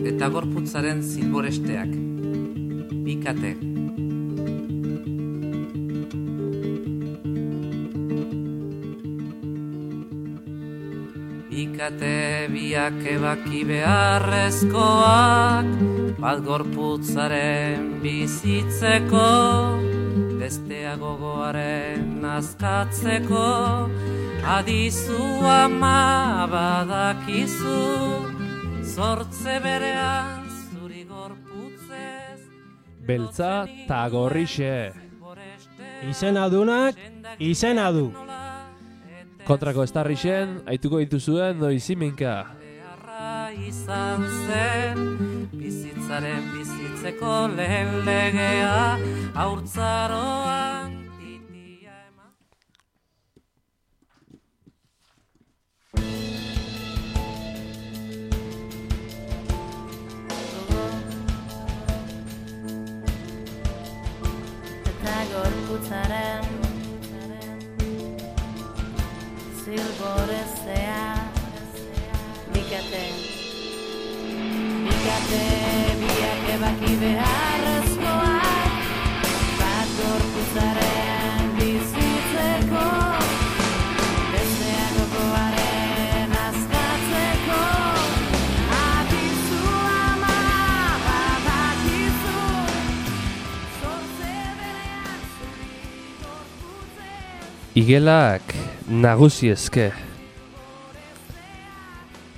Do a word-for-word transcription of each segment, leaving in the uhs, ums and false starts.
eta gorputzaren zilboresteak. Bikate. Bikate biak ebaki beharrezkoak, bat gorputzaren bizitzeko, bestea gogoaren azkatzeko, adizu ama badakizu, zortze berean zuri gorputzez. Beltza ta gorrixe. Izena dunak, izena du. Kontrako estarrixen, aituko dituzuen noiziminka. Izan zen, bizitzaren bizitzeko lehen legea, haurtzaroan titia eman. Eta gorputzaren zilborezea, bikate, bikate, biak ebaki beharrezkoak, bat gorputzaren bizitzeko, bestea gogoaren azkatzeko, adizu ama badakizu, zortze berean zuri gorputzez. Igelak nagusi eske.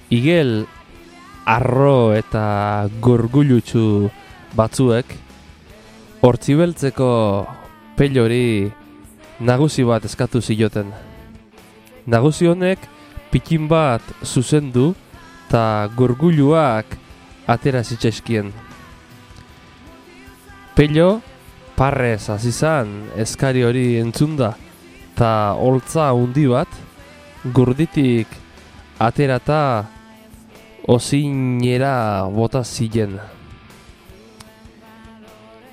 Igel arro eta gorgulutsu batzuek hortzibeltzeko pelori nagusi bat eskatu zioten. Nagusi honek pikin bat zuzendu eta gorguluak atera zitzaizkien. Pelo parrez hasi zan eskari hori entzunda eta holtza handi bat gurditik aterata ozinera bota ziren.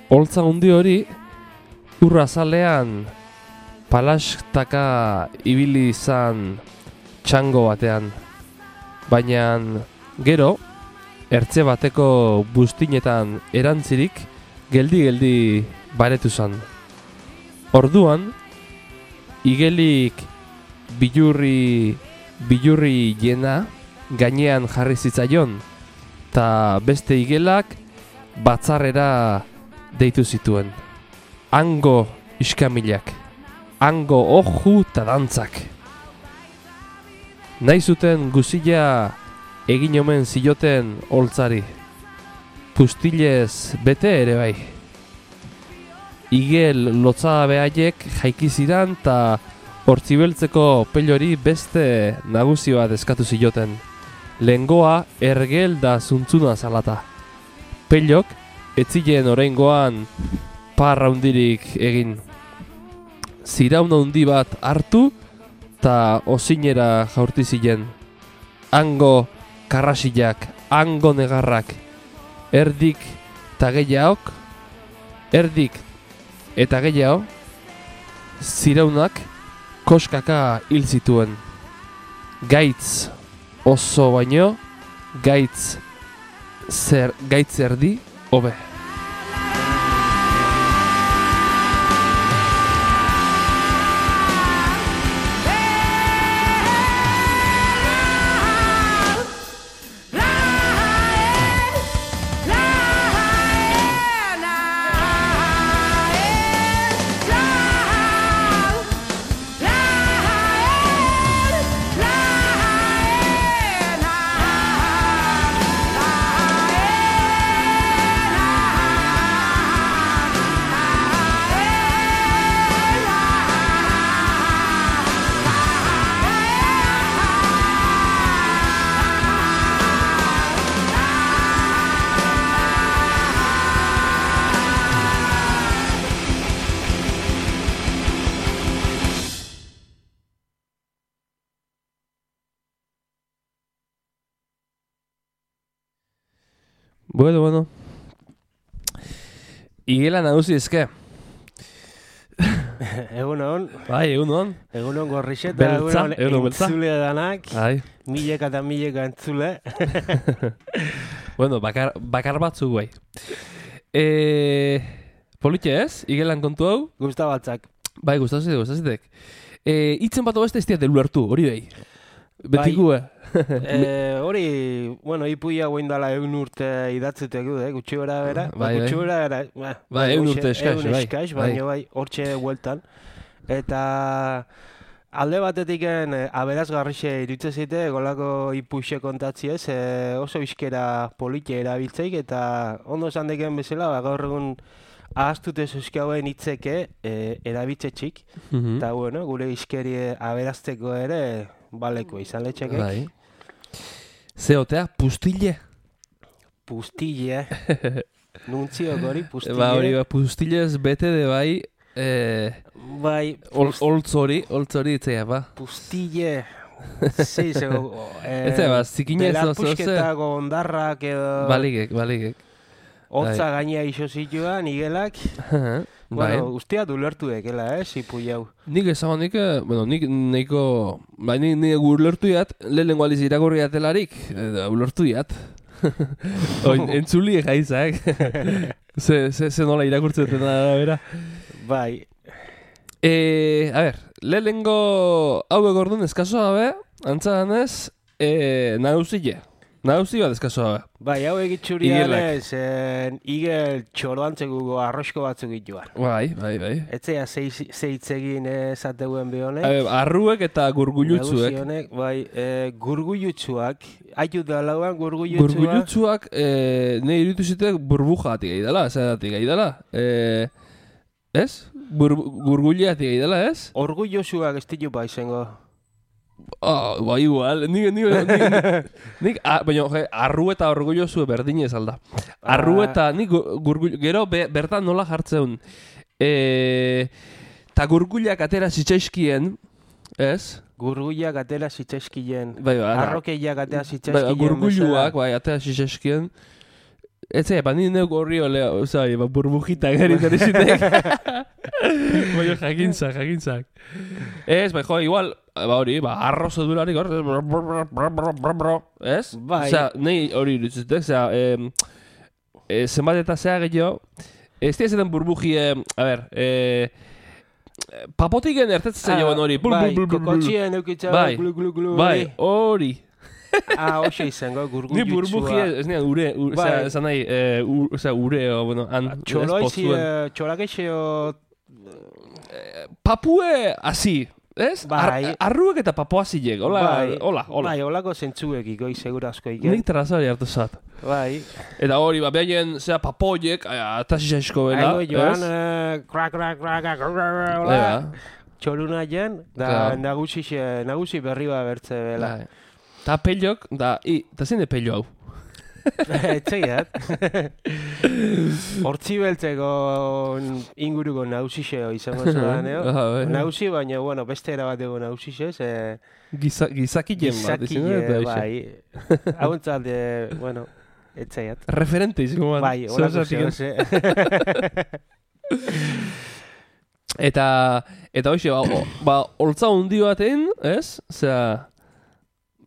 Holtza handi hori urrazalean palaskaka ibili izan txango batean. Baina gero, ertze bateko buztinetan erantzirik geldi-geldi baretu zan. Orduan, igelik bilurri, bilurri jena gainean jarri zitzaion, eta beste igelak batzarrera deitu zituen. Hango iskamilak, hango oju eta dantzak. Nahi zuten guzila egin omen zioten holtzari, pustilez bete ere bai. Igel lotzabe haiek jaiki zidan eta hortzibeltzeko pelori beste nagusi bat eskatu zioten. Lehengoa ergel da zuntzuna zalata. Pelok etzilen oraingoan parra hundirik egin. Ziraun handi bat hartu eta ozinera jaurti ziren. Hango karrasilak, hango negarrak, erdik eta gehiaok, erdik eta gehiago, ziraunak koskaka hil zituen. Gaitz oso baino, gaitz zer, gaitz erdi hobe. Bueno, bueno. Igela nagusi eske. Egunon. Bai, egunon. Egunon gorrixeta, Beltza, egunon egunon beltza. entzule danak. Bai. Mileka eta mileka entzule. Bueno, bakar, bakar batzuk guai. E, politxe ez? Igelan kontu hau? Gusta batzak. Bai, gustazitek, gustazitek. E, itzen bat beste ez diat ulertu, hori behi. Betikue. Eh, hori, bueno, ipuia guain dala egun urte idatzuteko, eh, gutxi bera bera. Bai, gutxi bai. bera bera. Ba, Bai, egun urte eskaz, egun bai. eskaz, Bai. baina bai, hortxe bueltan. Eta alde batetiken eh, aberazgarrixe iruditzen zite, golako ipuxe kontatziez, eh, oso bizkera polite erabiltzeik, eta ondo esan deken bezala, ba, gaur egun ahaztute zuzkauen hitzeke eh, erabiltzetxik, Mhm. eta bueno, gure izkeri aberazteko ere baleko izan letxekek. Bai. Zeotea, pustille. Pustille, nuntziok hori, pustille. Ba, hori, ba, pustillez bete de bai, eh, Bai, ol, oltz hori, oltz hori itzea, ba. pustille, sí, zego, eh, Ez da, ba, zikinez belar oso, ze. pusketako ondarrak edo, Baligek, baligek. hotza gaina iso zituan, igelak, Bai. bueno, ustea ulertu dekela, eh, zipu jau. Nik ezago nik, eh, bueno, nik nahiko, bai, nik, nik ulertu jat, lehenengo aliz irakurri atelarik, eta ulertu jat. Oin, entzuli jaizak. ze, ze, ze nola irakurtzen dena bera. Bai, E, a ber, lehenengo hauek orduan eskazo gabe, antza danez, e, nagusile. Nagusi bat eskazo gabe. bai, hau egitxurian Igelak. ez, eh, igel txoroantzeko arrosko batzuk ituan. Bai, bai, bai. Etzea zeitzegin esateuen behonek. A ber, arruek eta gurgulutzuek. Nagusi honek, bai, e, gurgulutzuak, aitu da lauan gurgulutzuak. Gurgulutzuak, e, ne iruditu zitek burbujatik gai dela, zeratik gai dela. E, ez? Bur, gurguliatik gai dela, ez? Orgullosuak ez ditu ba izango. Oh, ba, igual, nik, nik, nik, nik a, baina, je, arru eta orgullozu berdinez alda. Arru eta, nik gurgul, gero be, bertan nola jartzeun. E, ta gurguliak atera zitzaizkien, ez? Gurguliak atera zitzaizkien. Bai, ba, Arrokeiak atera bai, zitzaizkien. gurguluak, bai, atera zitzaizkien. Ez ba, ni neuk horri olea, osai, ba, burbujita garitzen ezitek. Baina jakintzak, jakintzak. Ez, bai, jo, igual, ba hori, ba, arrozo durarik hor, ez? Bai. Osea, nahi hori irutzutek, osea, eh, eh, zenbat eta zea gehiago, ez dira zeten burbuji, eh, a ber, eh, papotiken ertetzen joan hori, bul, bai, bul, bul, bul, bul. kokotxien eukitza, Bai, glu, glu, glu, bai, hori. Ah, hoxe izango, Ni gurgullutsua. burbuji, ez nire ure, ure Bai. osea, esan nahi, eh, u- osea, ure, o, bueno, han, ez, Txoloizi, potzuen. eh, txolakeixeo... Papue hasi, ez? Bai. Ar, arruek eta papuazilek, hola, Bai. hola, hola. Bai, holako zentzuekiko, segurazko Nik iken. trazari hartu zat. Bai. Eta hori, ba, behaien, zera, papoiek, atasizaizko bela, Aigo joan, ez? eh, krak, krak, krak, krak, krak, Bai, hola. ba. Txoluna jen, da Claro. nagusi, xe- nagusi berri ba bertze bela. Bai. Ta pellok, da, i, ta zein de pello hau? Etxeiat. Hortzi beltzeko inguruko nausixeo izango zudan, eo? Ah, bai. Nausi, baina, bueno, beste erabateko nausixez, eh, Giza, gizakien bat, izan da, gizakile, eta bai. Hauentzat, eh, bueno, etxeiat. referente izango bat. Bai, holako zeo zehose. Eta, eta hoxe, ba, o, ba, holtza hundi baten, ez? Osea,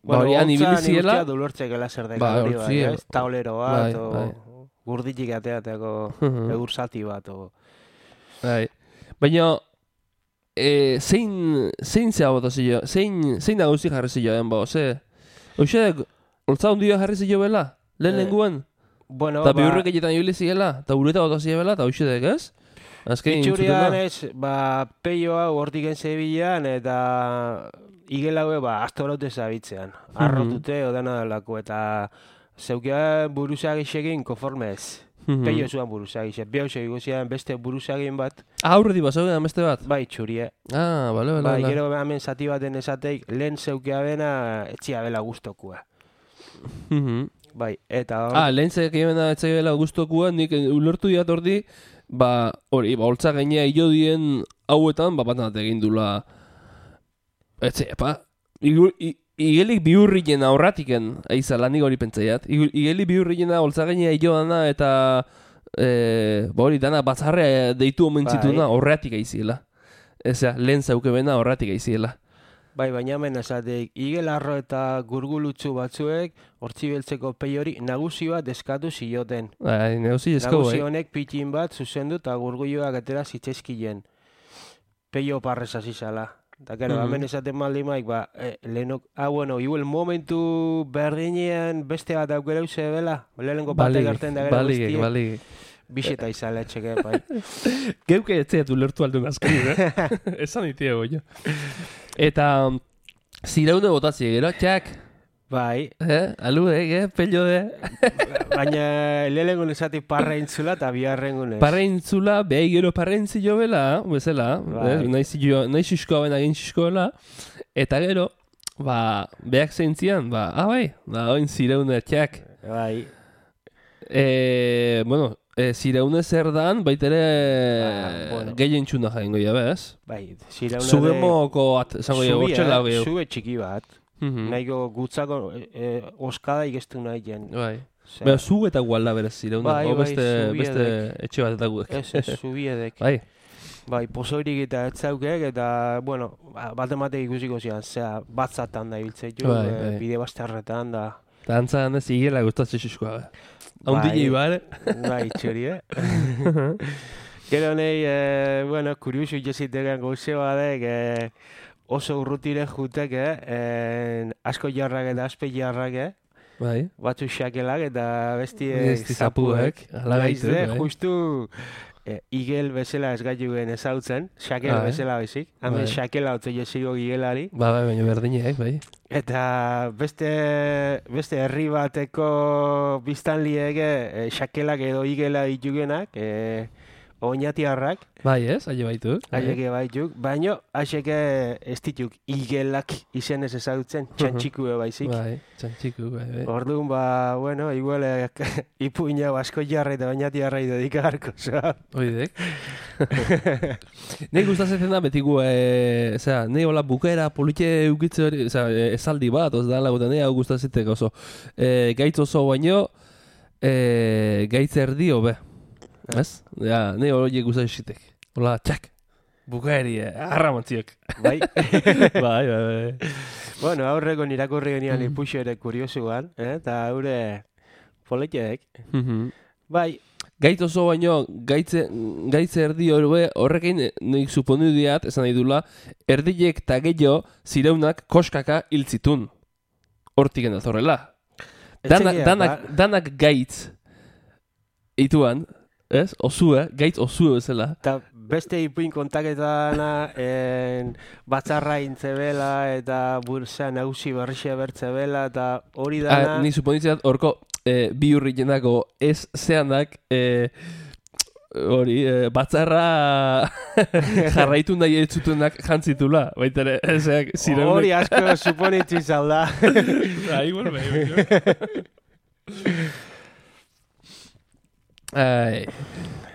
ba, hori han ibili ziela. Dulortzekela zer deka Ba, hori bai, hortzi, ez? Taulero bat, bai, o bai. gurditik ateateko Mhm. egur zati bat, o... Bai. Baina, e, zein, zein zea bota zio, zein, zein nagusi jarri zioen, ba, ze? Hoxe, holtza hundi jarri zio bela, lehen Eh, lenguen. Bueno, Eta ba, bihurrek egiten ibili ziela, eta ureta bota zio bela, eta hoxe dek, ez? Azken itxurian ez, ba, peio hau hortik enzebilan, eta igelaue, ba, astorote zabitzean. Arrotute, odana dalako, eta zeukea buruzagixekin konformez. Peio zuan buruzagixek. Behausek iguzian beste buruzagin bat, Aurreti bazauden beste bat? bai, txurie. Ah, bale, bale, Bai, bale. gero hemen zati baten esateik, lehen zeukea bena, etxia bela guztokua. Mhm. Bai, eta hor, Ah, lehen zeak egin etzaila guztokua, nik ulertu diat ordi, ba, hori, ba, holtza gainea hilo dien hauetan, ba, bat egin dula, etxe, pa, igu, i, igelik bihurrien aurratiken, aizala, nik hori pentsaiat, Igu- igelik bihurriena holtza gainea hilo dana, eta, e, ba, hori, dana batzarrea deitu omen Bai. zituna, horretik aiziela. Ezea, lehen zauke bena horretik aiziela. Bai, baina hemen esatek, igelarro eta gurgulutzu batzuek, hortzi beltzeko pei hori nagusi bat eskatu zioten. Bai, negozi esko, Nagusi bai. honek pitin bat zuzendu eta gurguluak atera zitzaizkien. Peio parrez hasi zala. Eta, kero, Mhm. hemen esaten maldi maik, ba, eh, lehenok, ah, bueno, igual momentu berdinean beste bat aukera zebela, lehenengo batek gerten da gero baligek, guztiek, baligek. bisita izala etxeke, bai. Geuke etzeatu lertu aldun azken, eh? Esan itiego, jo. Eta, zireune botatzi, gero, txak, Bai, eh? Alu, eh, pello, eh? baina lehenengo esatik parra intzula eta biharrengo ez. Parreintzula, behi gero parreintzi jo bela, bezala, Bai. eh? Naiz jo, naiz xuskoa ben agin xuskoela, eta gero, ba, beak zeintzian, ba, ah, bai, da, oin zireune txak. Bai, E, bueno, e, zireune zer dan, baitere Ah, bueno. gehien txuna jaingo ja, bez? bai, zirauna Zugemoko, at, esango ja, bortxela gehiago. Zube txiki bat, Mhm. nahiko gutzako e, e, oskada ikestu nahi jen. Bai. Osea, Bera, zu eta gualda berez zireune, Bai, o bai, beste, zubiedek. beste etxe bat eta guek. Ez, ez, zubiedek. Bai, Bai, pozoirik eta etzaukek, eta, bueno, ba- bat ematek ikusiko zian, zera, batzatan da ibiltzei jo, Bai, e, bai. bide bazterretan da. eta antzan ez igela gustatzen xuskoa. Bai. Haundile bare. Bai, txori, eh? Gero nahi, e, bueno, kuriusu itxeziteken gauze badek, e, oso urrutire jutek, eh? E, asko jarrak eta aspe jarrak, eh? Bai. Batzu xakelak eta besti Besti zapuek, ala Naiz gaitu, de, bai. justu e, igel bezala ez gaituen ezautzen, xakel Bai. bezala bezik. Hemen Bai. xakela otze jesigo igelari. Ba, bai, baina berdinek, bai. Eta beste, beste herri bateko biztanliek e, xakelak edo igela ditugenak, e, oinatiarrak, Bai, ez, aile baitu. Bai. haieke baituk, baino haixeke ez dituk igelak izenez ezautzen, txantxikue baizik. Bai, txantxiku, bai, bai. Orduan, ba, bueno, igual eh, ipuina asko jarra eta bainati jarrai dedikagarko, zoa. Oidek. Nei gustatzen da betigu, e, osea, nei hola bukera politxe eukitze hori, osea, e, esaldi bat, oz da lagutan, nei hau gustatzen oso. E, gaitz oso baino, e, gaitz erdi hobe. Ez? Ja, nei hori gustatzen zitek. Hola, txak. Bukaeri, eh, arramantziok. Bai. bai, bai, bai. Bueno, aurreko nirakurri genian Mm. ipuxo ere kuriosuan, eh? Eta haure politxeek. Mhm. Bai, Gaitz oso baino, gaitze, gaitze erdi horbe, horrekin eh, nik suponu diat, esan nahi dula, erdilek eta gehiago zireunak koskaka hiltzitun. Hortik endatorrela. Danak, etxekia, danak, ba, danak gaitz ituan, ez? Osue, gaitz osue bezala. eta beste ipuin kontaketana en, batzarra intzebela eta bursa nagusi berrixe bertzebela eta hori dana... Ah, ni suponitzen horko eh, bi hurri jenako ez zeanak eh, hori eh, batzarra jarraitu nahi ez zutenak jantzitula. Baita ere, ezeak zireunek. Hori asko suponitzi zalda. Ah, igual bai, bai. Ai,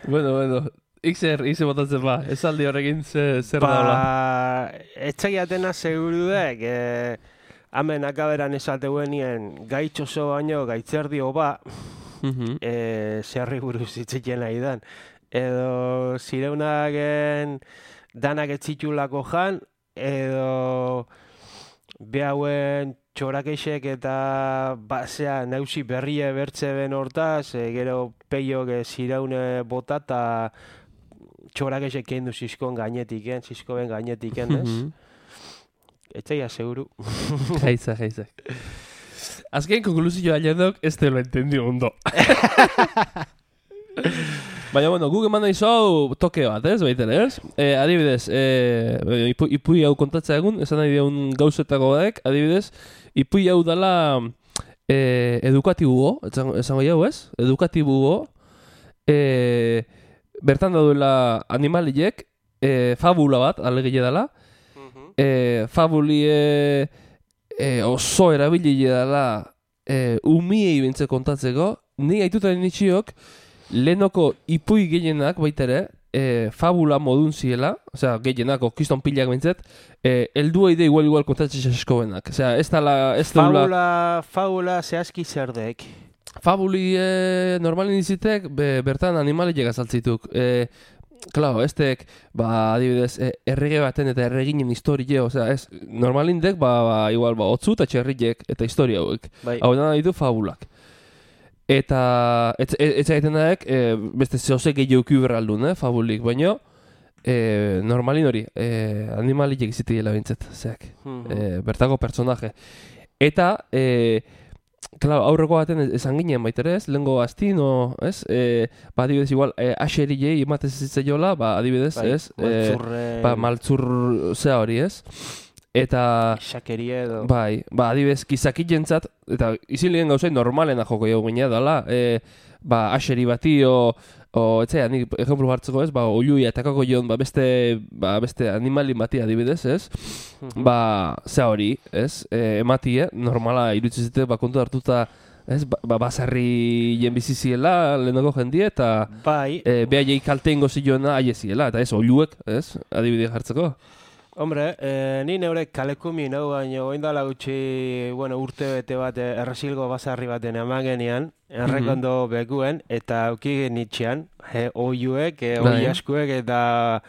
bueno, bueno, Ixer, ize botatzen ba, esaldi horrekin ze, zer daula. Ba, etxegiatena seguru dek, e, hemen akaberan esateuen gaitz oso baino gaitzerdi oba, Mhm. e, zerri buruz itzitzen nahi dan. Edo zireunaken danak etzitulako jan, edo behauen txorakeixek eta basea nausi berrie bertze ben hortaz, e, gero peiok e, zireune bota eta txorakeixek kendu zizkon gainetiken, zizkoen gainetiken, ez? Mhm. Etxeia seguru. Jaitza, jaitza. Azken konklusio ailedok, ez te lo entendio ondo. Baina, bueno, guk eman nahi zau toke bat, ez, baiten, ez? E, adibidez, e, ipu, ipui hau kontatzea egun, esan nahi diun gauzetako badek, adibidez, ipui hau dala e, edukatibuo, esango, esango jau, ez? Edukatibuo, e, bertan dauela animaliek, e, fabula bat, alegile dala, e, fabulie e, oso erabilie dela e, umiei bintze kontatzeko, ni aitutaren itxiok lehenoko ipui gehienak baita ere e, fabula modun ziela, osea gehienak okiston pilak bintzet, e, eldu eide igual igual kontatzea esko benak. Osea, ez dala, ez dula... Fabula, fabula zehazki zer dek. Fabuli e, normalin izitek be, bertan animaliek azaltzituk. E, Claro, estek, ba, adibidez, e, errege baten eta erreginen historie, osea, ez, normalindek, ba, ba, igual, ba, otzu eta txerriek eta historia hauek. Bai. Hau da ditu fabulak. Eta, ez egiten daek, e, beste zehose gehiago berraldun, eh, fabulik, baina, e, normalin hori, e, animalik egizitiela bintzet, zeak, e, bertako personaje. Eta, e, claro, aurreko baten esan ginen baitere ez, lehengo astino, ez? E, ba, adibidez, igual, e, aserilei ematez zitzaiola, ba, adibidez, Bai, ez? maltzurre... E, ba, maltzur zea hori, ez? Eta... Xakerie edo... Bai, ba, adibidez, gizaki jentzat, eta izilien gauzai normalena joko jau gine dala, e, ba, aseri bati, o, o etzea, nik ejemplu hartzeko ez, ba, oiuia etakako joan, ba, beste, ba, beste animalin bati adibidez, ez? Ba, zea hori, ez? E, ematie, normala iruditzen zite, ba, kontu hartuta, ez? Ba, ba basarri jen biziziela, lehenako jendie, eta Bai. e, behaiei kalte ingo zioena aieziela, eta ez, oiuek, ez? Adibide jartzeko. Hombre, eh, ni neure kalekumi nau, baina oindala gutxi, bueno, urte bete bat eh, erresilgo basarri baten eman genian, errekondo bekuen, eta auki genitxean, eh, oiuek, eh, oi Bai. askuek, eta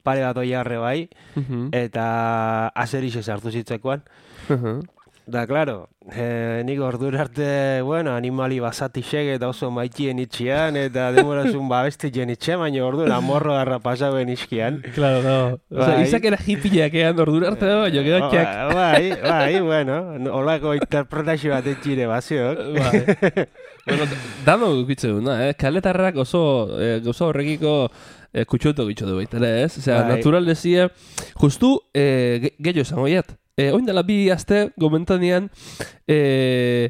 pare bat oiarre bai, Mhm. eta azerixe sartu zitzekoan. Mhm. Da, claro, eh, nik ordura arte, bueno, animali basatixek eta oso maitien itxian, eta demorazun babestien itxe, baina ordura morro garra pasauen iskian. Claro, no. Osa, Bai. izak era hippieak ean ordura arte da, baina gedakiak. Bai, bai, bueno, holako interpretazio bat etxire baziok. Bai. Bueno, dano gukitze duna, eh? Kaletarrak oso, eh, gauza horrekiko eh, kutxoto gitxo du baita, ez? Osea, Bai. natural dezie, justu, eh, ge- gehiago esango jat. Eh, oin dela bi aste, gomentanean, eh,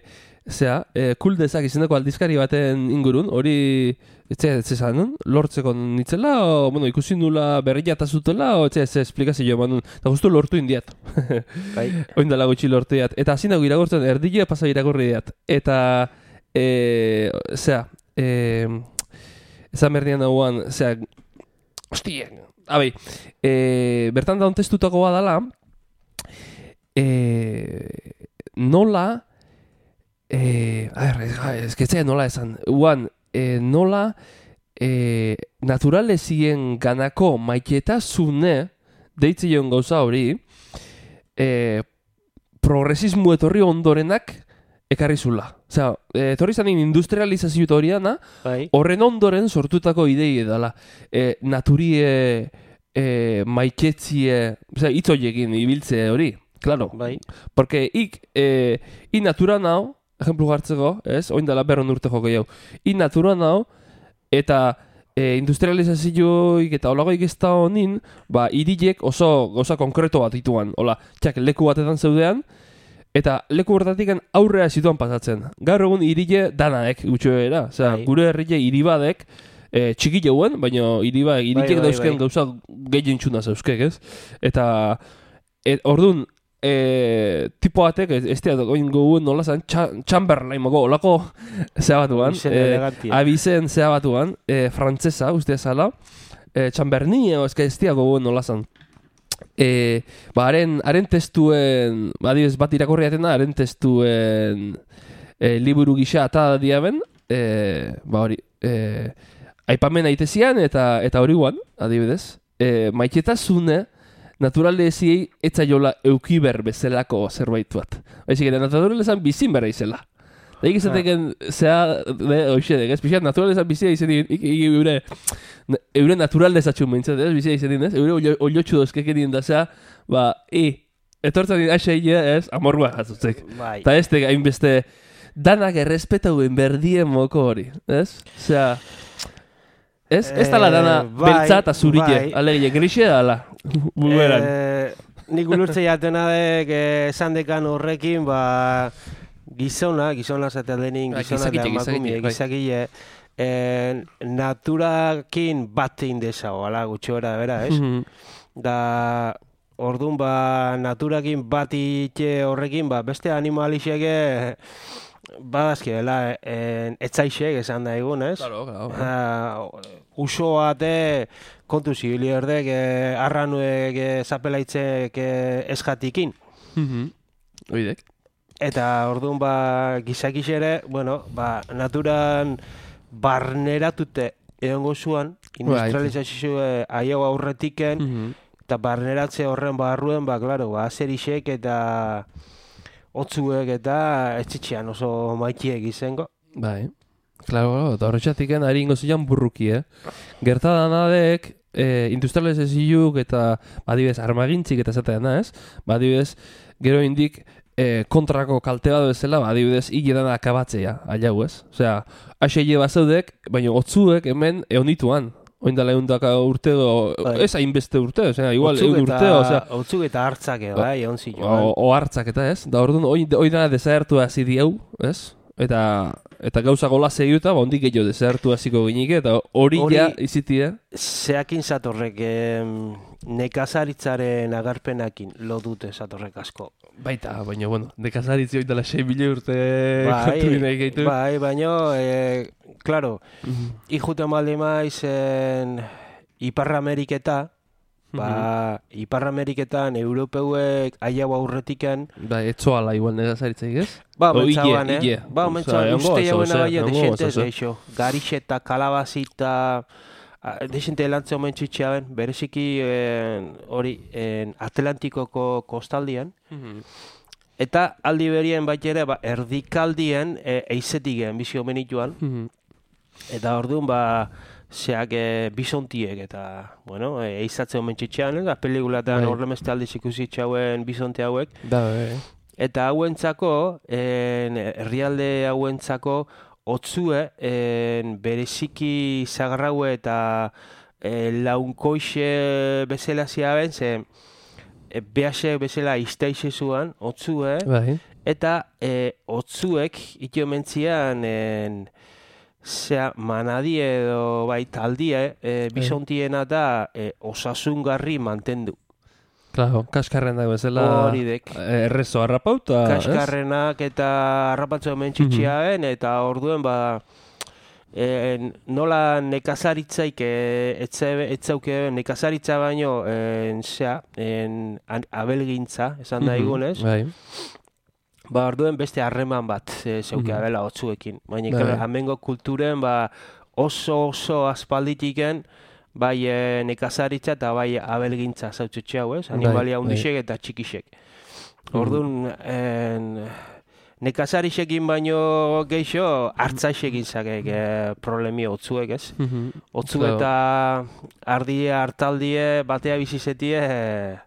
zera, eh, kuldezak izeneko aldizkari baten ingurun, hori, etxe, etxe zanun, lortzeko nitzela, o, bueno, ikusi nula berria eta zutela, o, etxe, ez esplikazio eman nun, eta justu lortu indiat. Bai. Oin dela gutxi lortu diat. Eta hasi nago iragortzen, erdile pasa iragorri diat. Eta, e, zera, e, ezan berdian nagoan, zera, hostien, abai, e, bertan daun testutako badala, e, nola, e, a ver, ez que nola esan, uan, e, nola, e, naturalezien ganako maiketasune, deitzen gauza hori, e, progresismo etorri ondorenak ekarri zula. Osea, etorri zanin industrializazio horiana, Bai. horren ondoren sortutako idei edala. E, naturie e, maiketzie, osea, hitz horiekin ibiltze hori, claro. Bai. Porque ik, e, i natura nau, ejemplu hartzeko, ez? Oin dela berron urte joko jau. I natura nau, eta e, industrializazioik eta olagoik ez da honin, ba, irilek oso gauza konkreto bat dituan. Hola, txak, leku batetan zeudean, eta leku hortatik aurrea zituan pasatzen. Gaur egun irile danaek gutxoera. Osea, Bai. gure herrile iribadek, e, txiki jauen, baina iriba, irilek bai, dauzken bai. gauza gehien txuna zeuzkek, ez? Eta, et, orduan, e, tipo batek, ez, ez da, oin gouen nola zan, Chamberlain mogo, olako zea batuan, Izen e, elegantia. abizen zea batuan, e, frantzesa, uste zala, e, Chamberlain, ez ez da gouen nola zan. E, ba, haren, haren testuen, ba, adibidez bat irakorri atena, haren testuen e, liburu gisa eta diaben, e, ba hori, e, aipamen aitezian eta eta hori guan, adibidez, e, maiketasune, naturaleziei etzaiola eukiber bezalako zerbait bat. Baizik, eta naturalezan bizin bera izela. Da ikizateken, zea, de, hoxe, ez, pixat, naturalezan bizia izan din, ik, ik, eure, eure naturalezatxun behintzat, ez, bizia izan din, ez, eure oiotxu dozkek edin da, zea, ba, i, etortzen din aixeia, ez, amorgua jatzutzek. Bai. Eta ez tega, hainbeste, danak errespetauen berdien moko hori, ez? Zea, ez, ez tala dana Eh, bai, beltza eta zurike, bai. alegia, grixe dala, buberan. Eh, nik ulurtze jatena dek eh, esan dekan horrekin, ba, gizona, gizona zaten denin, Bai, gizona eta gizakile, emakumie, gizakile, bai. gizakile, eh, naturakin bat egin dezago, ala, gutxora, bera, ez? Mhm. Da, orduan, ba, naturakin bat ite horrekin, ba, beste animalixeke, badazki, dela, eh, etzaixek esan da egun, ez? Claro, claro. Uh, uso bate kontu zibili erdek eh, arranuek eh, zapelaitzek eh, eskatikin. Mhm. Oidek. Eta orduan ba gizakix ere, bueno, ba naturan barneratute egongo zuan, industrializazio aio aurretiken, Mhm. eta barneratze horren barruen, ba, klaro, ba, azerisek eta otzuek eta etxitxean oso maitiek izango. Bai. Claro, eta horretxatiken ari ingo zian burruki, eh? Gertadanadek, eh, industrializazioak eta, badibez, armagintzik eta zatean, ez? Badibez, gero indik, eh, kontrako kalte bat bezala, badibidez, hiledan akabatzea, aiau, ez? Osea, haseile bazaudek, baina otzuek hemen eonituan. Oindala eundaka urte, o, Bai. ez hainbeste urte, osea, igual Otzuk eun eta, urte, osea, otzuk eta hartzak, eh, bai, egon ziloan. o, o hartzak eta ez, da orduan, oi, oi dana desagertu hasi diau, ez? Eta, eta gauza gola zehiuta, ba, ondik gehiago desagertu hasiko ginike, eta hori Hori- ja izitia. Zeakin zatorrek, em, nekazaritzaren agarpenakin lo dute zatorrek asko. Baita, baina, bueno, dekazaritzi hori dela sei mila urte Bai, kontu nahi gaitu. bai, baina, e, claro, Mhm. ikuten baldi maizen Ipar Ameriketa, ba, Ipar Ameriketan europeuek aiau aurretiken, Bai, etzoala igual nekazaritzak, ez? ba, O, mentzaban, hile, eh? hile. Ba, Osea, mentzaban, egongo uste oso, jauen osea, abaia egongo desentez oso, geixo. Garixeta, kalabazita, desente lantzea omen txitxeaben, bereziki en, hori en, Atlantikoko kostaldian, eta aldi berien baita ere, ba, erdikaldien e, eizetigen bizi omen ituan, Mhm. eta orduan, ba, zeak e, bisontiek eta, bueno, e, eizatzen omen txitxean, eta pelikulatan Bai. horremeste aldiz ikusi txauen bisonte hauek, Da, bai. eta hauentzako, en, herrialde hauentzako, otzue, en, bereziki zagarraue eta e, launkoixe bezala ziaben, ze e, behase bezala iztaixe zuan, otzue, Bai. eta e, otzuek ito mentzian en, zea manadi edo bai taldie e, bisontiena da e, osasungarri mantendu. Claro, kaskarren dago bezala Hori dek. eh, errezo harrapauta, ez? Kaskarrenak eta harrapatzu hemen txitxiaen, eta orduen ba en, nola nekazaritzaik e, etze, etzauke nekazaritza baino en, zea, en, an- abelgintza, esan da Mhm. igunez, Bai. ba orduen beste harreman bat e, zeuke Mhm. abela otzuekin. Baina Bai. claro, amengo kulturen ba oso oso aspalditiken bai e, nekazaritza eta bai abelgintza zautxetxe hau, ez? Animalia bai. hundixek eta txikixek. Mhm. Orduan, en, nekazarixekin baino geixo hartzaixekin zakek e, problemi otzuek, ez? Mhm. Otzu Claro. eta ardie, hartaldie, batea bizizetie, e,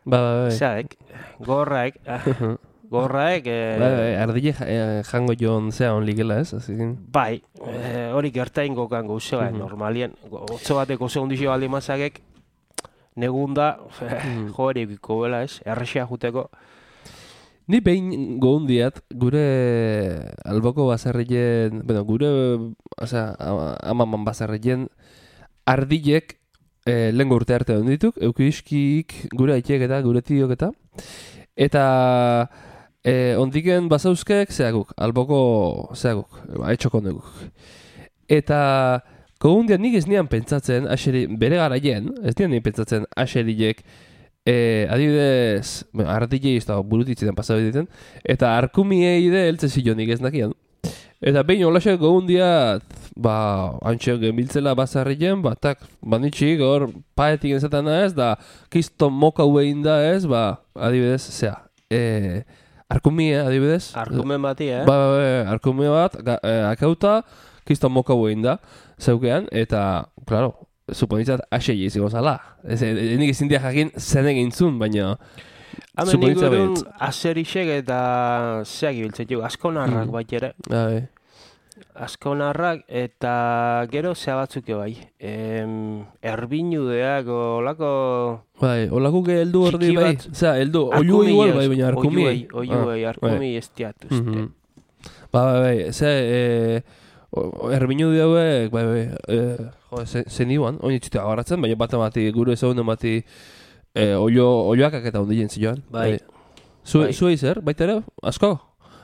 Ba, ba, bai. zeak, gorraek, Mhm. gorraek, e, Bai, bai, ardile ja- eh, jango joan zea on ligela, ez? Azikin. bai, e, hori gertain gokan gauze, bai, Mhm. normalien, otzo batek oso ondixo baldi mazakek, negunda, Mhm. jo erikiko bela, ez? Errexea juteko. Ni behin goundiat, gure alboko bazarrien, bueno, gure, osea, ama- amaman bazarrien, ardilek eh, lehengo urte arte ondituk, eukiskik, gure aitiek eta gure tiok eta, eta eh, ondiken bazauzkek zeaguk, alboko zeaguk, ba, etxoko neguk. Eta goundiat nik ez nian pentsatzen, aseri, bere garaien, ez nian nian pentsatzen aseriek, E, adibidez, bueno, ardilei ez da burutitzetan pasau egiten, eta arkumiei de eltze zilonik ez nakian. Eta behin olaxek gogundiat, ba, antxeok genbiltzela bazarrien, ba, tak, banitxik, hor, paetik enzatana ez, da, kiston moka huein da ez, ba, adibidez, zea, e, arkumie, adibidez. Arkumen bati, eh? Ba, ba, ba, arkumie bat, ga, e, akauta, kiston moka huein da, zeukean, eta, claro, suponitzat asei izango zala. Ez, e, nik ezin dia jakin zen egin zun, baina Hemen suponitza ingurun behitz. azerixek eta zeak ibiltzen dugu, askonarrak Mhm. bait ere. Bai. Askonarrak eta gero zea batzuk bai. Em, erbinudeak, olako... Bai, olako ge heldu ordi Txiki bai. bat. Osea, heldu, oiu Arkumi, igual ez, bai, baina arkumi. Oiuei, oiuei, arkumi ez diat uste. Mhm. Ba, bai, bai, ze, e, erbinu hauek, bai, bai, e, jo, ze- zen iban, oin itxute agarratzen, baina bat amati, gure ezagunen bati, e, oio, oioakak eta ondien zioan. Bai. Zu, Bai. Zuei zer, baita ere, asko?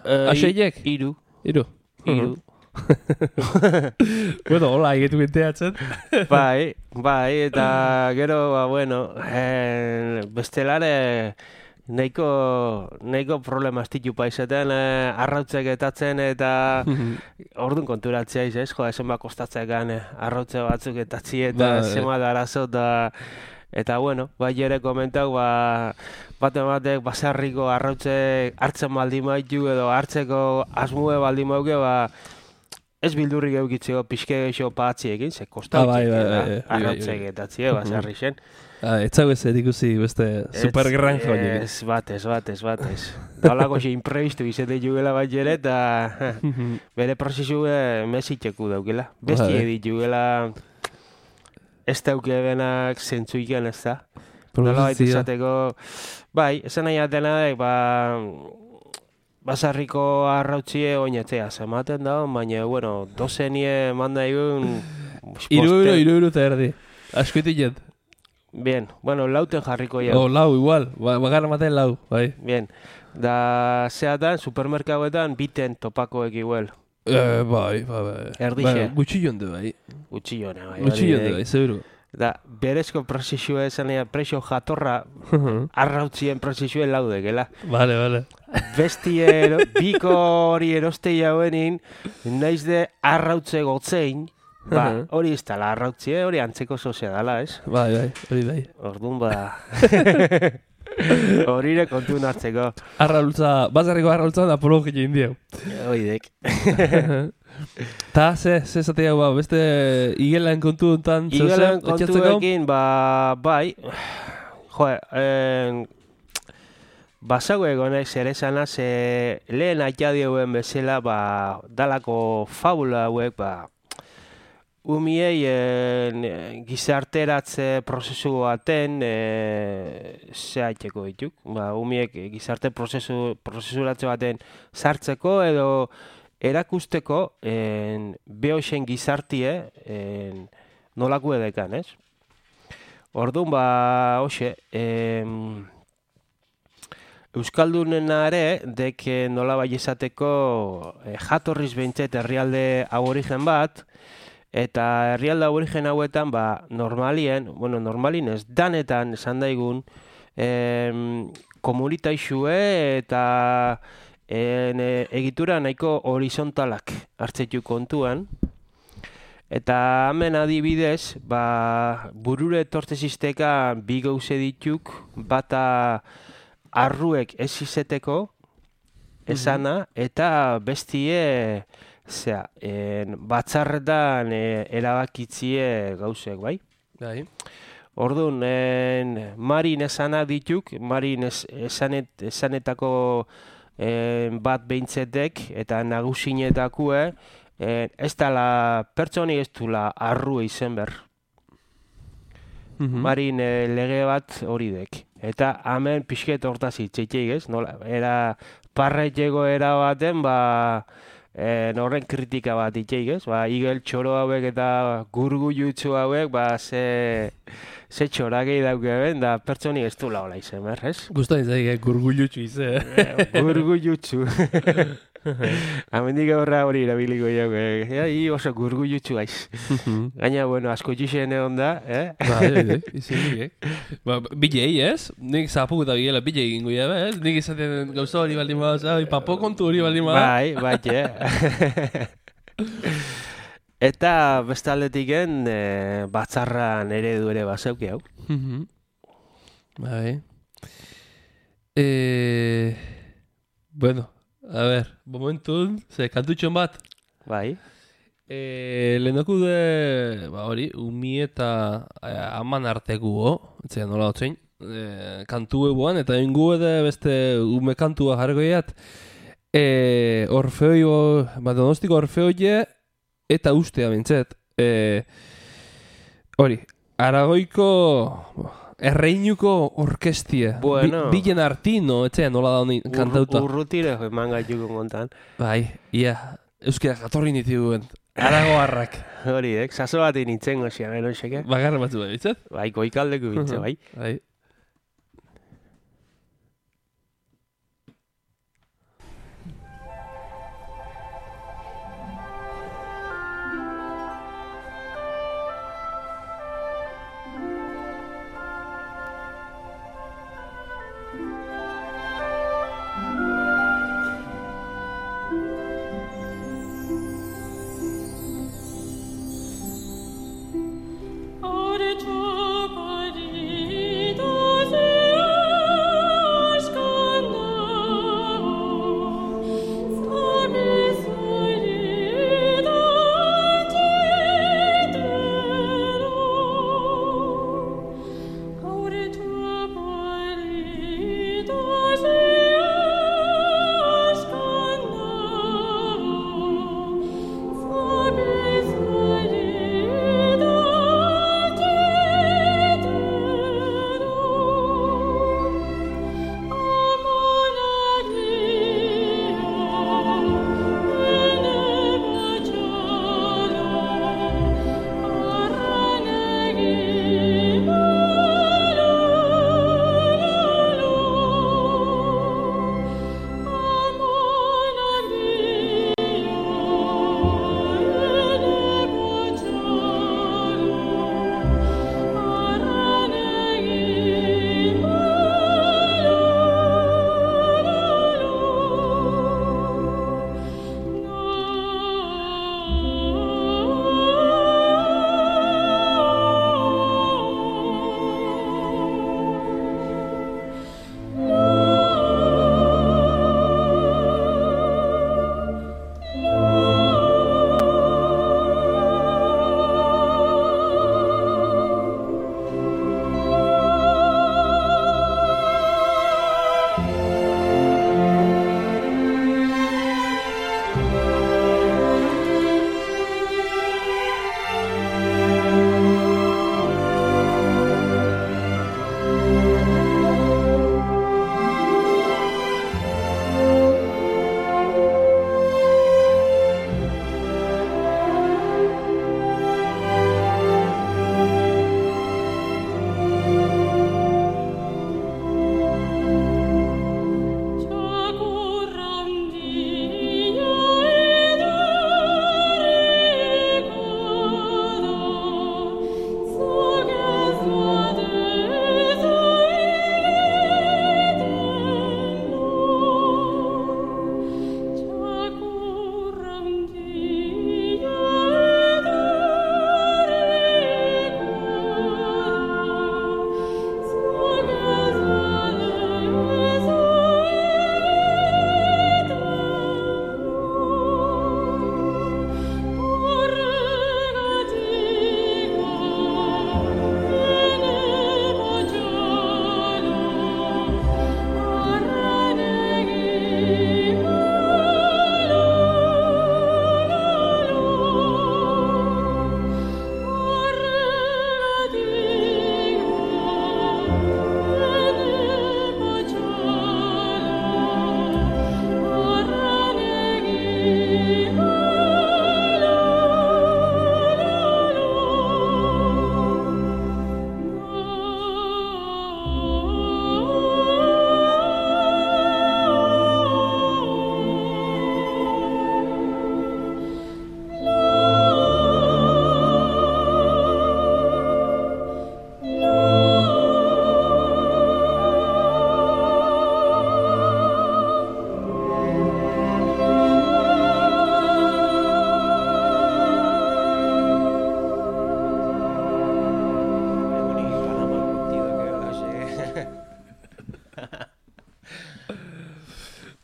Eh, Aseiek? Iru, Iru. iru. Bueno, hola, egitu ginteatzen. Bai, bai, eta gero, ba, bueno, eh, bestelare nahiko, nahiko problema estitu paizetan, eh, arrautzek etatzen eta orduan konturatzea iz, ez? Jo, esen bat kostatzekan eh, arrautze batzuk etatzi eta Ba, zema da arazo eta eta bueno, bai ere komentau, ba, bate batek basarriko arrautze hartzen baldin maitu edo hartzeko asmue baldin mauke, ba, ez bildurrik eukitzeko pixke geixo patziekin, ze kosta Ah, bai, bai, da, bai, bai, arrautzek bai. etatzie, basarri zen. Ah, etzago ez ikusi beste supergranja horiek. Ez bat, ez bat, ez bat, ez. Dalako xe imprevistu izate jugela bat jere, eta bere prozesu mesitxeku daukela. Besti Bai. edit jugela ez dauke benak zentzuiken ez da. Nola baita izateko, bai, esan nahi atena da, ba, basarriko arrautzie oinatzea zematen da, baina, bueno, dozenie manda egun... Iru euro, iru euro eta erdi. Askoitik jet. Bien, bueno, lauten jarriko jau. Oh, lau, igual. Ba, bagarra maten lau, bai. Bien, da zeatan, supermerkagoetan biten topakoek igual. Eh, bai, bai, bai. Erdixe. Bai, gutxi jonde, bai. Gutxi jona, bai. Gutxi hori jonde, dek. bai, seguro. Da, berezko prozesua esan ea, presio jatorra arrautzien prozesuen laudekela. Vale, vale. Besti ero, biko hori eroste jauenin, naiz de arrautze gotzein, ba, hori ez dala arrautzie, hori antzeko sozia dala, ez? Bai, bai, hori bai. Orduan ba... Horire kontu hartzeko. Arraultza, bazarriko arraultzan apologi egin diau. Oidek. Ta, ze, ze zatea, ba, beste igelen kontu enten, Igelen kontuekin, ba, bai, jo, en, basau egonez ere zana, ze lehen atxadioen bezala, ba, dalako fabula hauek, ba, umiei en, gizarteratze prozesu baten e, zehatxeko dituk. Ba, umiek gizarte prozesu, prozesuratze baten sartzeko edo erakusteko en, behoxen gizartie en, nolako edekan, ez? Orduan, ba, hoxe, em, Euskaldunena ere, dek nola bai esateko e, jatorriz behintzet herrialde aborigen bat, eta herrialde aborigen hauetan, ba, normalien, bueno, normalin ez, danetan esan daigun, em, komunitaixue eta en, e, egitura nahiko horizontalak hartzetu kontuan. Eta hemen adibidez, ba, burure etortzezisteka bi gauze dituk, bata arruek ez izeteko, esana, eta bestie, zera, en, batzarretan e, erabakitzie gauzek, bai? Bai. Orduan, en, marin esana dituk, marin es, esanet, esanetako en, bat behintzetek, eta nagusinetakue, en, ez dala pertsoni ez dula arru izen ber. Marin e, lege bat hori dek. Eta hemen pixket hortaz itxeiteik ez, nola, era parretxeko era baten, ba, e, horren kritika bat itxeik ez, ba, igel txoro hauek eta gurgu jutsu hauek, ba, ze, ze txorakei dauke ben, da pertsoni ez du laola izen, ber, ez? Gustan izaik, eh? Gurgullutxu ize. Gurgu jutsu. Amendik aurra hori erabiliko jau, eh? Hi oso gurgu jutsu aiz. Gaina, bueno, asko txixen egon da, eh? Bai, bai, izin nik, Ba, bilei, ez? Nik zapuk eta bilela bilei egingo jabe, ez? Nik izaten gauza hori baldin bada, zai, papo kontu hori baldin bada. Bai, bai, eh? Eta bestaldetiken e, batzarran eredu ere bazeuki hau. Bai. Eh, bueno, a ver, momentun, ze kantutxon bat. Bai. Eh, lehenoko de, ba hori, umi eta eh, aman arteko go, etzea nola hotzein, eh, kantu ebuan, eta ingu ede beste ume kantua jargoiat, eh, Orfeoi, ba, Donostiko Orfeoie, eta ustea bintzet, eh, hori, Aragoiko erreinuko orkestie, Bueno. Bi, Bilen Artino, etzea nola da honi kantauta. Ur, urrutire eman gaituko kontan. Bai, ia, euskera jatorri nitiguen, aragoarrak. Hori, eh? Saso bat initzen gozia, gero xeke. Bagarra batzu bai, bitzat? Bai, goikaldeko bintze, bai. Bai.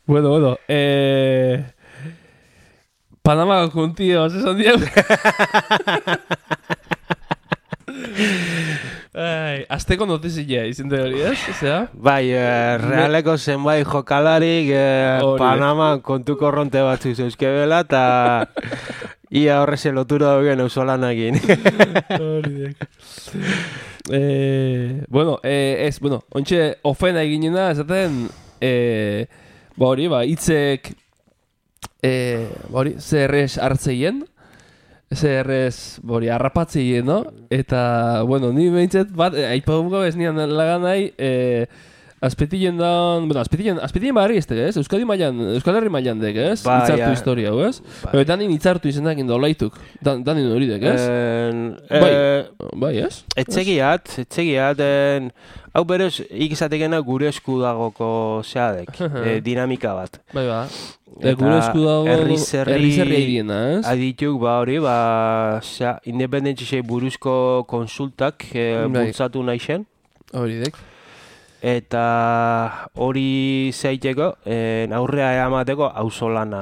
Bueno, bueno, eh... Panama contigo, esan diau. Ai, azteko notizia izin da hori, ez? Osea? Bai, eh, realeko zenbait jokalarik eh, Hori. Panama kontu korronte batzu zeuzkebela, eta ia horreze lotura dauden eusolanekin. Horiek. eh, bueno, eh, ez, bueno, ontxe ofena eginena, esaten, eh, ba hori, ba, hitzek, eh, ba hori, zerrez hartzeien, zerrez, ba hori, harrapatzeien, no? Eta, bueno, ni behintzet, bat, eh, aipaduko ez nian lagan nahi, eh, azpetien dan, bueno, azpetien, azpetien barri ez, ez? Euskadi mailan, Euskal Herri mailan dek, ez? Bai, Itzartu ja. historia, ez? Bai. Bai. Danin itzartu izenak indolaituk, Dan, danin hori dek, ez? Eh, Bai. eh, Bai, ez? Etxegiat, etxegiat, en, hau beroz, ikizatekena gure esku dagoko zeadek, e, dinamika bat. Bai, ba. E, gure esku dago herri zerri herri zerri aidiena, ez? adituk, ba hori, ba, zea, independentzisei buruzko konsultak e, Bai. bultzatu nahi zen. Hori dek. Eta hori zeiteko, en, aurrea eramateko auzolana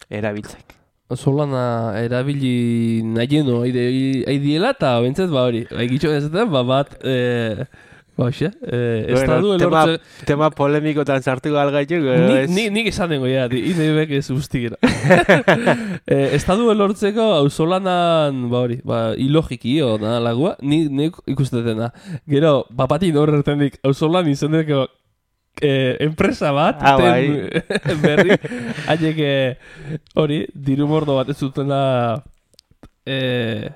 erabiltzek. Solana erabili nahieno aidiela eta bentzat ba hori. Egitxo ezaten, ba bat, e, ba hoxe, e, estadu tema, elortze... tema polemikotan sartu galgaitu, Ni, ez? ni, nik esan dengo ja, inebek ez ustikera. e, estadu elortzeko auzolanan, ba hori, ba, ilogiki o da lagua, ni, ni ikustetena. Gero, bapatin horretendik auzolan izendeko Eh, enpresa bat, ah, ten, berri, haiek eh, hori, diru mordo bat ez zutela, eh,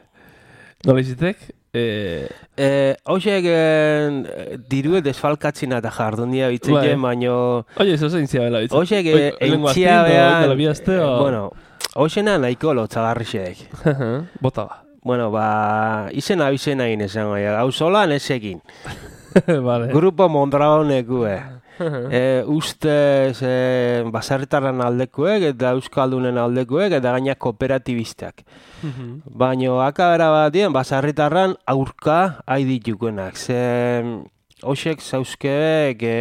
nola izitek? Eh, Eh, Hoxek eh, dirue desfalkatzina eta jardunia bitzeke, Bai. baino... Oie, ez ozein ziabela bitza. Hoxek eh, entzia behan... Bueno, hoxena nahiko lotzagarrixek. Bota ba. Bueno, ba, izena bizena egin esango, gauzolan ezekin. Vale. Grupo Mondragonekue. E, ustez e, baserritarren aldekuek eta euskaldunen aldekuek eta gaina kooperatibistak. Baina akabera batien baserritarran aurka haiditukenak. Ze hoxek zauzkeek e,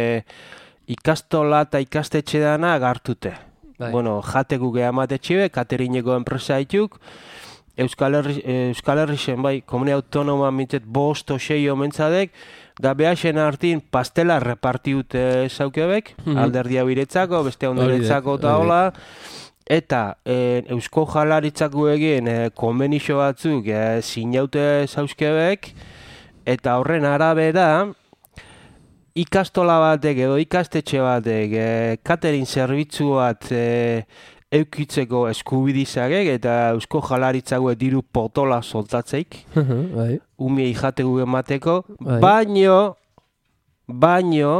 ikastola eta ikastetxe dana gartute. Bai. Bueno, jatekuk eamatetxibe, katerineko enpresa dituk, Euskal Herri, Euskal Herri zen bai, komune autonoma mintzet bost o sei omentzadek, da behaxen hartin pastela repartiute zaukebek, Mhm. alderdia biretzako, beste ondoretzako eta hori. hola. Eta eh, Eusko Jaurlaritzako egin eh, konbenixo batzuk eh, sinaute zauzkebek, eta horren arabera, ikastola batek edo ikastetxe batek eh, catering zerbitzu bat eh, eukitzeko eskubidizagek eta Eusko Jaurlaritzako diru potola soltatzeik, Bai. umiei jategu emateko, Bai. baino, baino,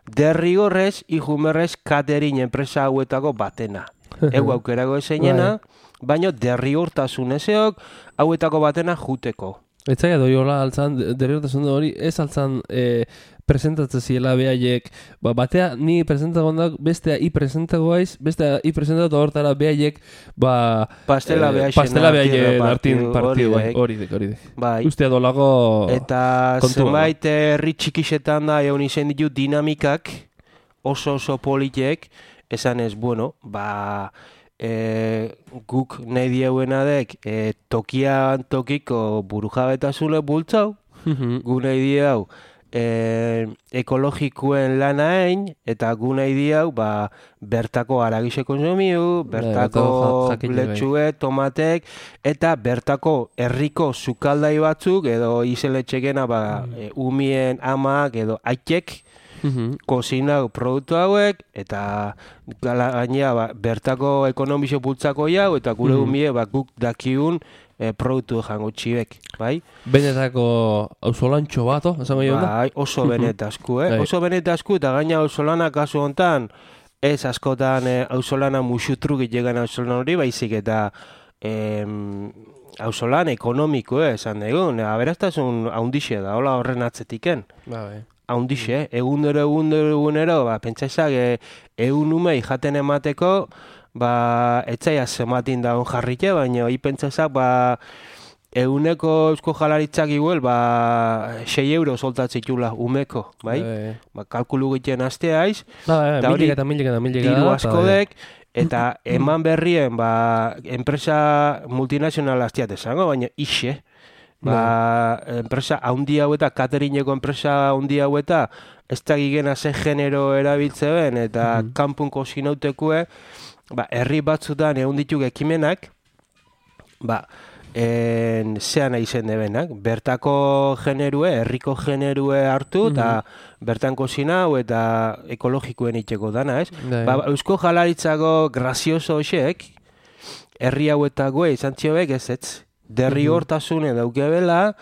derrigorrez, ijumerrez catering enpresa hauetako batena. Egu aukerako esenena, baino derrigortasun ezeok, hauetako batena juteko. Etzaia doi hola altzan, derriotasun hori, ez altzan e, presentatzen ziela behaiek, ba, batea ni presentagondak, bestea i presentagoaiz, bestea i presentatu hortara behaiek, ba... Pastela eh, behaixen pastela artin behaien repartidu, artin partidu, bai, hori hori dek, hori dek. Bai. Ustea dolako... Eta kontua, zenbait herri txikixetan da egon izen ditu dinamikak oso oso politek, esan ez, bueno, ba, e, guk nahi dieuena dek e, tokian tokiko burujabetasune bultzau, gu nahi diau e, ekologikoen lana egin, eta gu nahi diau ba, bertako aragixe konsumiu, bertako bertako ja- jakile, bai. letxue, tomatek, eta bertako herriko sukaldai batzuk, edo izeletxekena ba, e, umien amak edo aitek, kozinau produktu hauek, eta gala- gainera ba, bertako ekonomixo bultzako jau, eta gure Mhm. umie ba, guk dakiun e, produktu jango txibek, bai? Benetako auzolantxo bat, oh, esango jo da? Bai, oso benetazku, eh? Bai. Oso benetazku, eta gaina auzolana kasu hontan, ez askotan e, auzolana musutruk itegan auzolan hori, baizik eta em, auzolan ekonomiko, eh, esan dugun, aberaztasun haundixe da, hola horren atzetiken. Ba, bai. Haundixe, egundero, egundero, egunero, ba, pentsaizak e, egun umei jaten emateko, ba, etzaia zematin daun jarrike, baina hi pentsaizak, ba, euneko Eusko Jaurlaritzak igual, ba, sei euro soltatzitula umeko, bai? Bai. Ba, kalkulu egiten asteaiz, Ba, eta hori, milika eta milika eta milika. diru da, askodek, eta eman berrien, ba, enpresa multinazional hastiat esango, baina ixe. Ba, enpresa haundi hau eta, cateringeko enpresa haundi hau eta, ez da gigena ze genero erabiltze ben, eta Mhm. kanpunko sinautekue, ba, herri batzutan egun dituk ekimenak, ba, en, zean izen debenak, bertako generue, herriko generue hartu, eta bertan kozinau eta ekologikoen itxeko dana, ez? Bai. Ba, Eusko Jaurlaritzako grazioso hoxek, herri hauetakoe izan txobek ez ez. Derri Mhm. hortasune daukebela,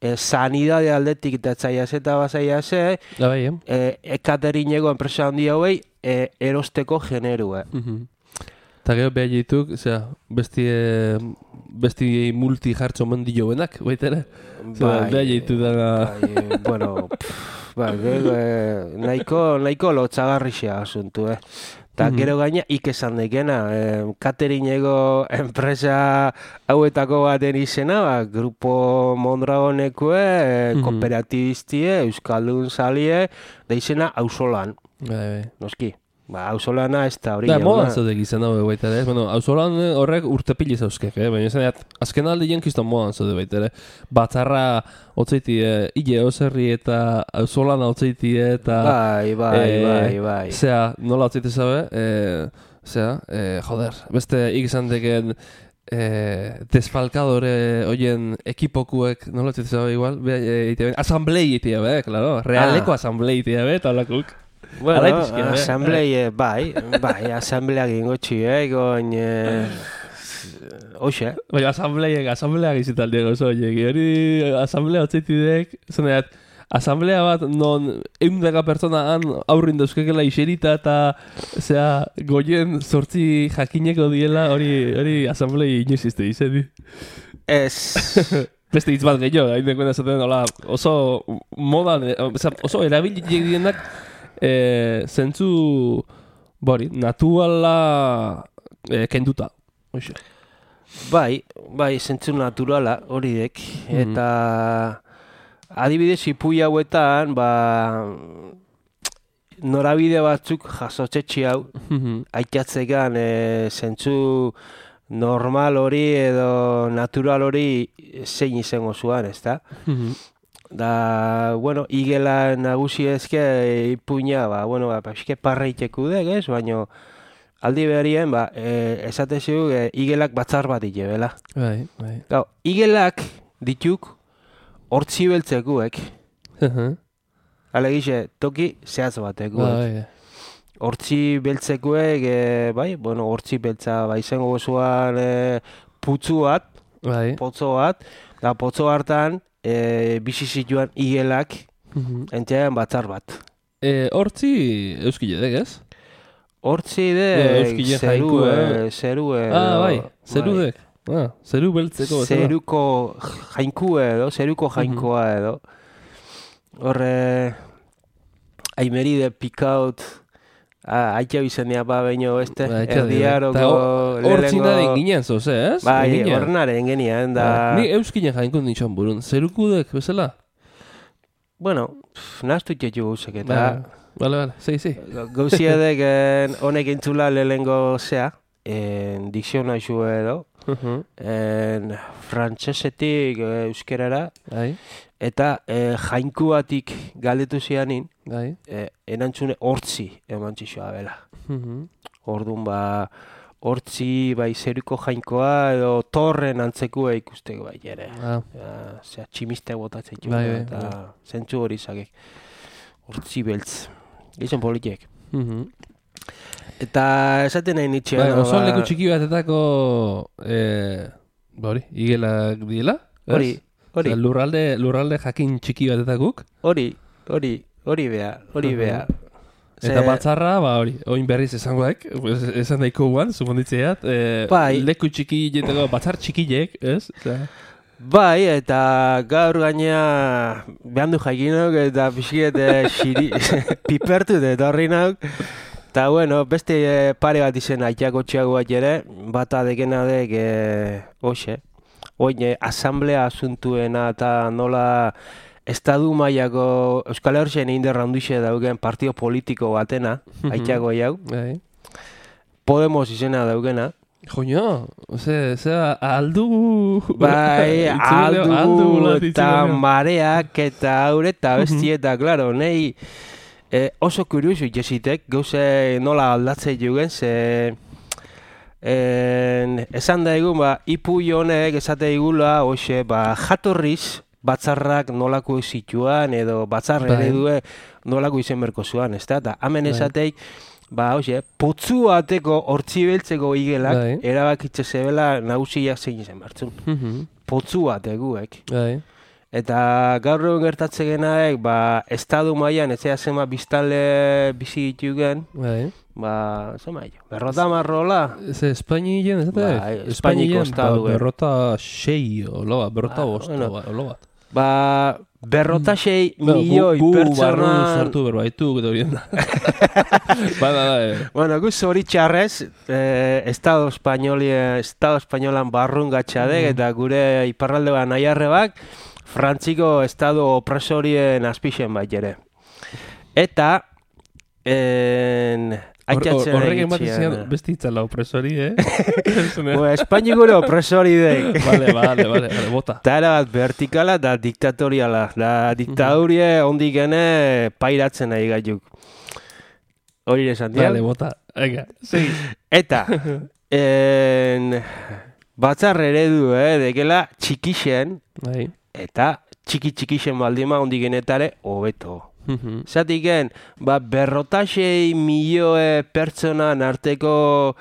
e, sanidade aldetik eta etzaiaz eta bazaiaz, e, Da bai, eh? e, ekaterineko enpresa handi hauei e, erosteko generue. Mhm. Eta gero behar dituk, osea, besti, eh, besti multi jartxo mendio benak, baita ere? Zera, behar ditu dana... bai, bueno, pff, bai, gero, e, nahiko, nahiko lotxagarrixea asuntu, eh. Eta Mhm. gero gaina ik esan dekena, eh, cateringeko enpresa hauetako baten izena, ba, Grupo Mondragonekue, eh, Mhm. kooperatibistie, Euskaldun salie, da izena Auzolan, Bai, bai. noski. Ba, Auzolana ez da hori Da, jauna. modan zaudek izan hau baita ere. Bueno, auzolan horrek urtepili zauzkek, eh? Baina izan dut, azken alde jenkizton modan zaude baita ere. Batzarra otzaiti, eh, ile oserri eta auzolan otzaiti eta... Bai, bai, eh, bai, bai. Zea, nola otzaiti zabe? Eh, zea, eh, joder, beste ik izan deken... Eh, desfalkadore oien ekipokuek, nola otzaiti zabe igual? Be, eh, ite ben, asamblei itea be, claro. Realeko Ah. asamblei itea be, eta holakuk. Bueno, Alai pixkia, eh? asamblei, bai, bai, asambleak ingo txie, goin... Eh, Hoxe, Baina asambleiak, asambleak izital diego oso horiek. Hori asamblea otzaitidek, zeneat, asamblea bat non eundaka pertsona han aurrin dauzkekela iserita eta zera goien sortzi jakineko diela hori hori asamblei inoiz izte izedi. ez... Beste hitz bat gehiago, hain dekoen esaten hola, oso modan, eh, oza, oso erabilik dienak eh, zentzu, bori, naturala eh, kenduta. Hoxe. Bai, bai, zentzu naturala, hori dek. Mhm. Eta adibidez ipui hauetan, ba, norabide batzuk jasotzetxi hau, aitatzekan e, zentzu normal hori edo natural hori zein izango zuan, ezta? Da, bueno, igela nagusi ezke ipuina, ba, bueno, ba, pixke parreiteku dek, ez? Baina aldi beharien, ba, e, esate zigu, e, igelak batzar bat ite, bela. Bai, bai. Gau, igelak dituk hortzi beltzekuek, alegixe, toki zehatz batekuek. Bai, Hortzi beltzekuek, e, bai, bueno, hortzi beltza, ba, izango gozuan e, putzu bat, bai. potzo bat, da potzo hartan, e, bizi zituen igelak, entzean batzar bat. E, hortzi euskile dek, ez? Hortzi Ja, de, euskile zerue, jainkoa. zerue. Ah, bai, edo, zeru bai. dek. Ah, zeru beltzeko. bezala. Zeruko jainkua edo, zeruko jainkoa edo. Horre, aimeri de pikaut, ah, aitxau izanea ba baino beste, Ba, etxa di, erdiaroko, eta hor- Hortzina ginen zoz, ez? Bai, Egina. horrenaren genian, da... Ni euskinen jainko nintxan burun. Zerukudek, bezala? Bueno, pff, nahaztu txetxu gauzek, eta... Ba, Bale, bale, zei, zei. Gauziedek en, honek entzula lehengo zea, en dikzionaizu edo, en frantsesetik eh, euskerara, Bai, eta eh, jainkuatik galdetu zianin, bai. eh, erantzune hortzi eman txixoa bela. Orduan ba, hortzi bai zeruko jainkoa edo torren antzekua ikusteko bai ere. Ah, Ja, zera tximiste botatzen txu, Bai, bai, eta bai. zentzu hori zakek. Hortzi beltz. Gizon politiek. mhm. Eta esaten nahi nitxe. Bai, no, oso ba, leku txiki batetako, eh, ba hori, igelak diela? ez? Hori, hori, Osea, lurralde, lurralde jakin txiki batetakuk. hori, hori, hori bea, hori Mhm. bea. Eta Ze- batzarra, ba hori, oin berriz esangoek, pues, esan daiko guan, suponditzeat, eh, Bai. leku txiki jeteko, batzar txikilek, ez? Osea, Bai, eta gaur gaina behan du jaikinok eta pixiet eh, xiri, pipertu dut horri nauk. Eta bueno, beste eh, pare bat izen aitako txago bat ere, bata dekena dek, eh, hoxe, oin asamblea asuntuena eta nola estadu mailako Euskal Herrien indar handixe daugen partio politiko batena, aitxago jau, Bai. Podemos izena daugena. Joño, ose, ose, aldu... Bai, Itzuleo, aldu eta itzuleo. mareak eta haure eta besti eta, klaro, nahi eh, oso kuriusu jesitek, gauze nola aldatzei jugen, ze... En, esan da egun, ba, ipu honek esate igula, hoxe, ba, jatorriz, batzarrak nolako zituan, edo batzar Bai. eredue nolako izen berko zuan, ez da? Eta hemen Bai. esateik, ba, hoxe, potzu bateko hortzi beltzeko igelak, Bai. erabakitze zebela nagusiak zein izen bertzun. Mhm. Potzu bateguek. Bai. Eta gaur egun gertatze genaek, ba, estadu mailan ez zea zema biztale bizi ditugen, Bai. ba, zema jo, berrota marrola. Ze Espainien, ez da? Bai, Espainiko estadu, eh. Berrota sei, olo bat, berrota Ah, bost, bueno. olo bat. Ba, berrota sei Bueno, gu- milioi gu barru pertsona... sortu berbaitu, eta horien da. Ba, da, da, eh. Bueno, gu zoritxarrez, eh, Estado Espainolia, Estado Espainolan barrun gatxadek, eta gure iparralde bat nahiarrebak, Frantziko Estado opresorien azpixen bat ere. Eta, en... Hor- hor- Aitzatzen Horrek ematen egitxean. zian beste itzala opresori, eh? Bo, Espaini gure opresori dek. Vale, vale, vale, vale, bota. Eta era bat vertikala da diktatoriala. Da diktadurie ondik gene pairatzen nahi gaituk. Hori esan dian. Vale, bota. Venga, segi. Eta, en, batzar eredu, eh, dekela txikixen, Bai. eta txiki txikixen baldima ondik genetare hobeto. Mhm. Zatiken, ba, berrotasei milioe pertsonan arteko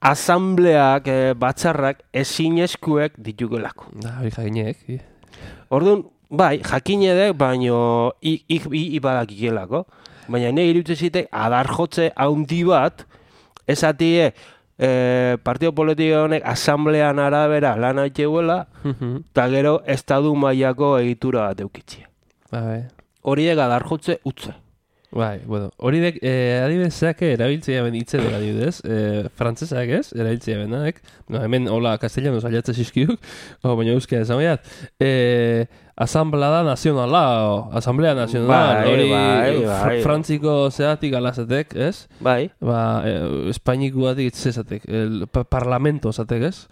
asambleak, eh, batzarrak ezinezkuek ditugelako. Da, hori jakinek. Orduan, bai, jakinedek, baino ik ik i badakikelako. Baina nahi iruditzen zitek adar jotze haundi bat, esatie eh, partio politiko honek asamblean arabera lan aiteuela, Mhm. eta gero estadu mailako egitura bat eukitzia. Bai. Horiek adar jotze utze. Bai, bueno, hori dek, eh, adibidezak erabiltzea ben hitzedek adibidez, eh, frantzesak ez, erabiltzea benak, no, hemen hola castellano saiatze zizkiuk, o, baina euskera esan baiat, eh, asamblada nazionala, o, asamblea nazionala, Bai, hori bai, fr- bai. frantziko zeatik alazetek, ez? Bai, Ba, eh, espainikoatik zezatek, el pa parlamento zatek, ez?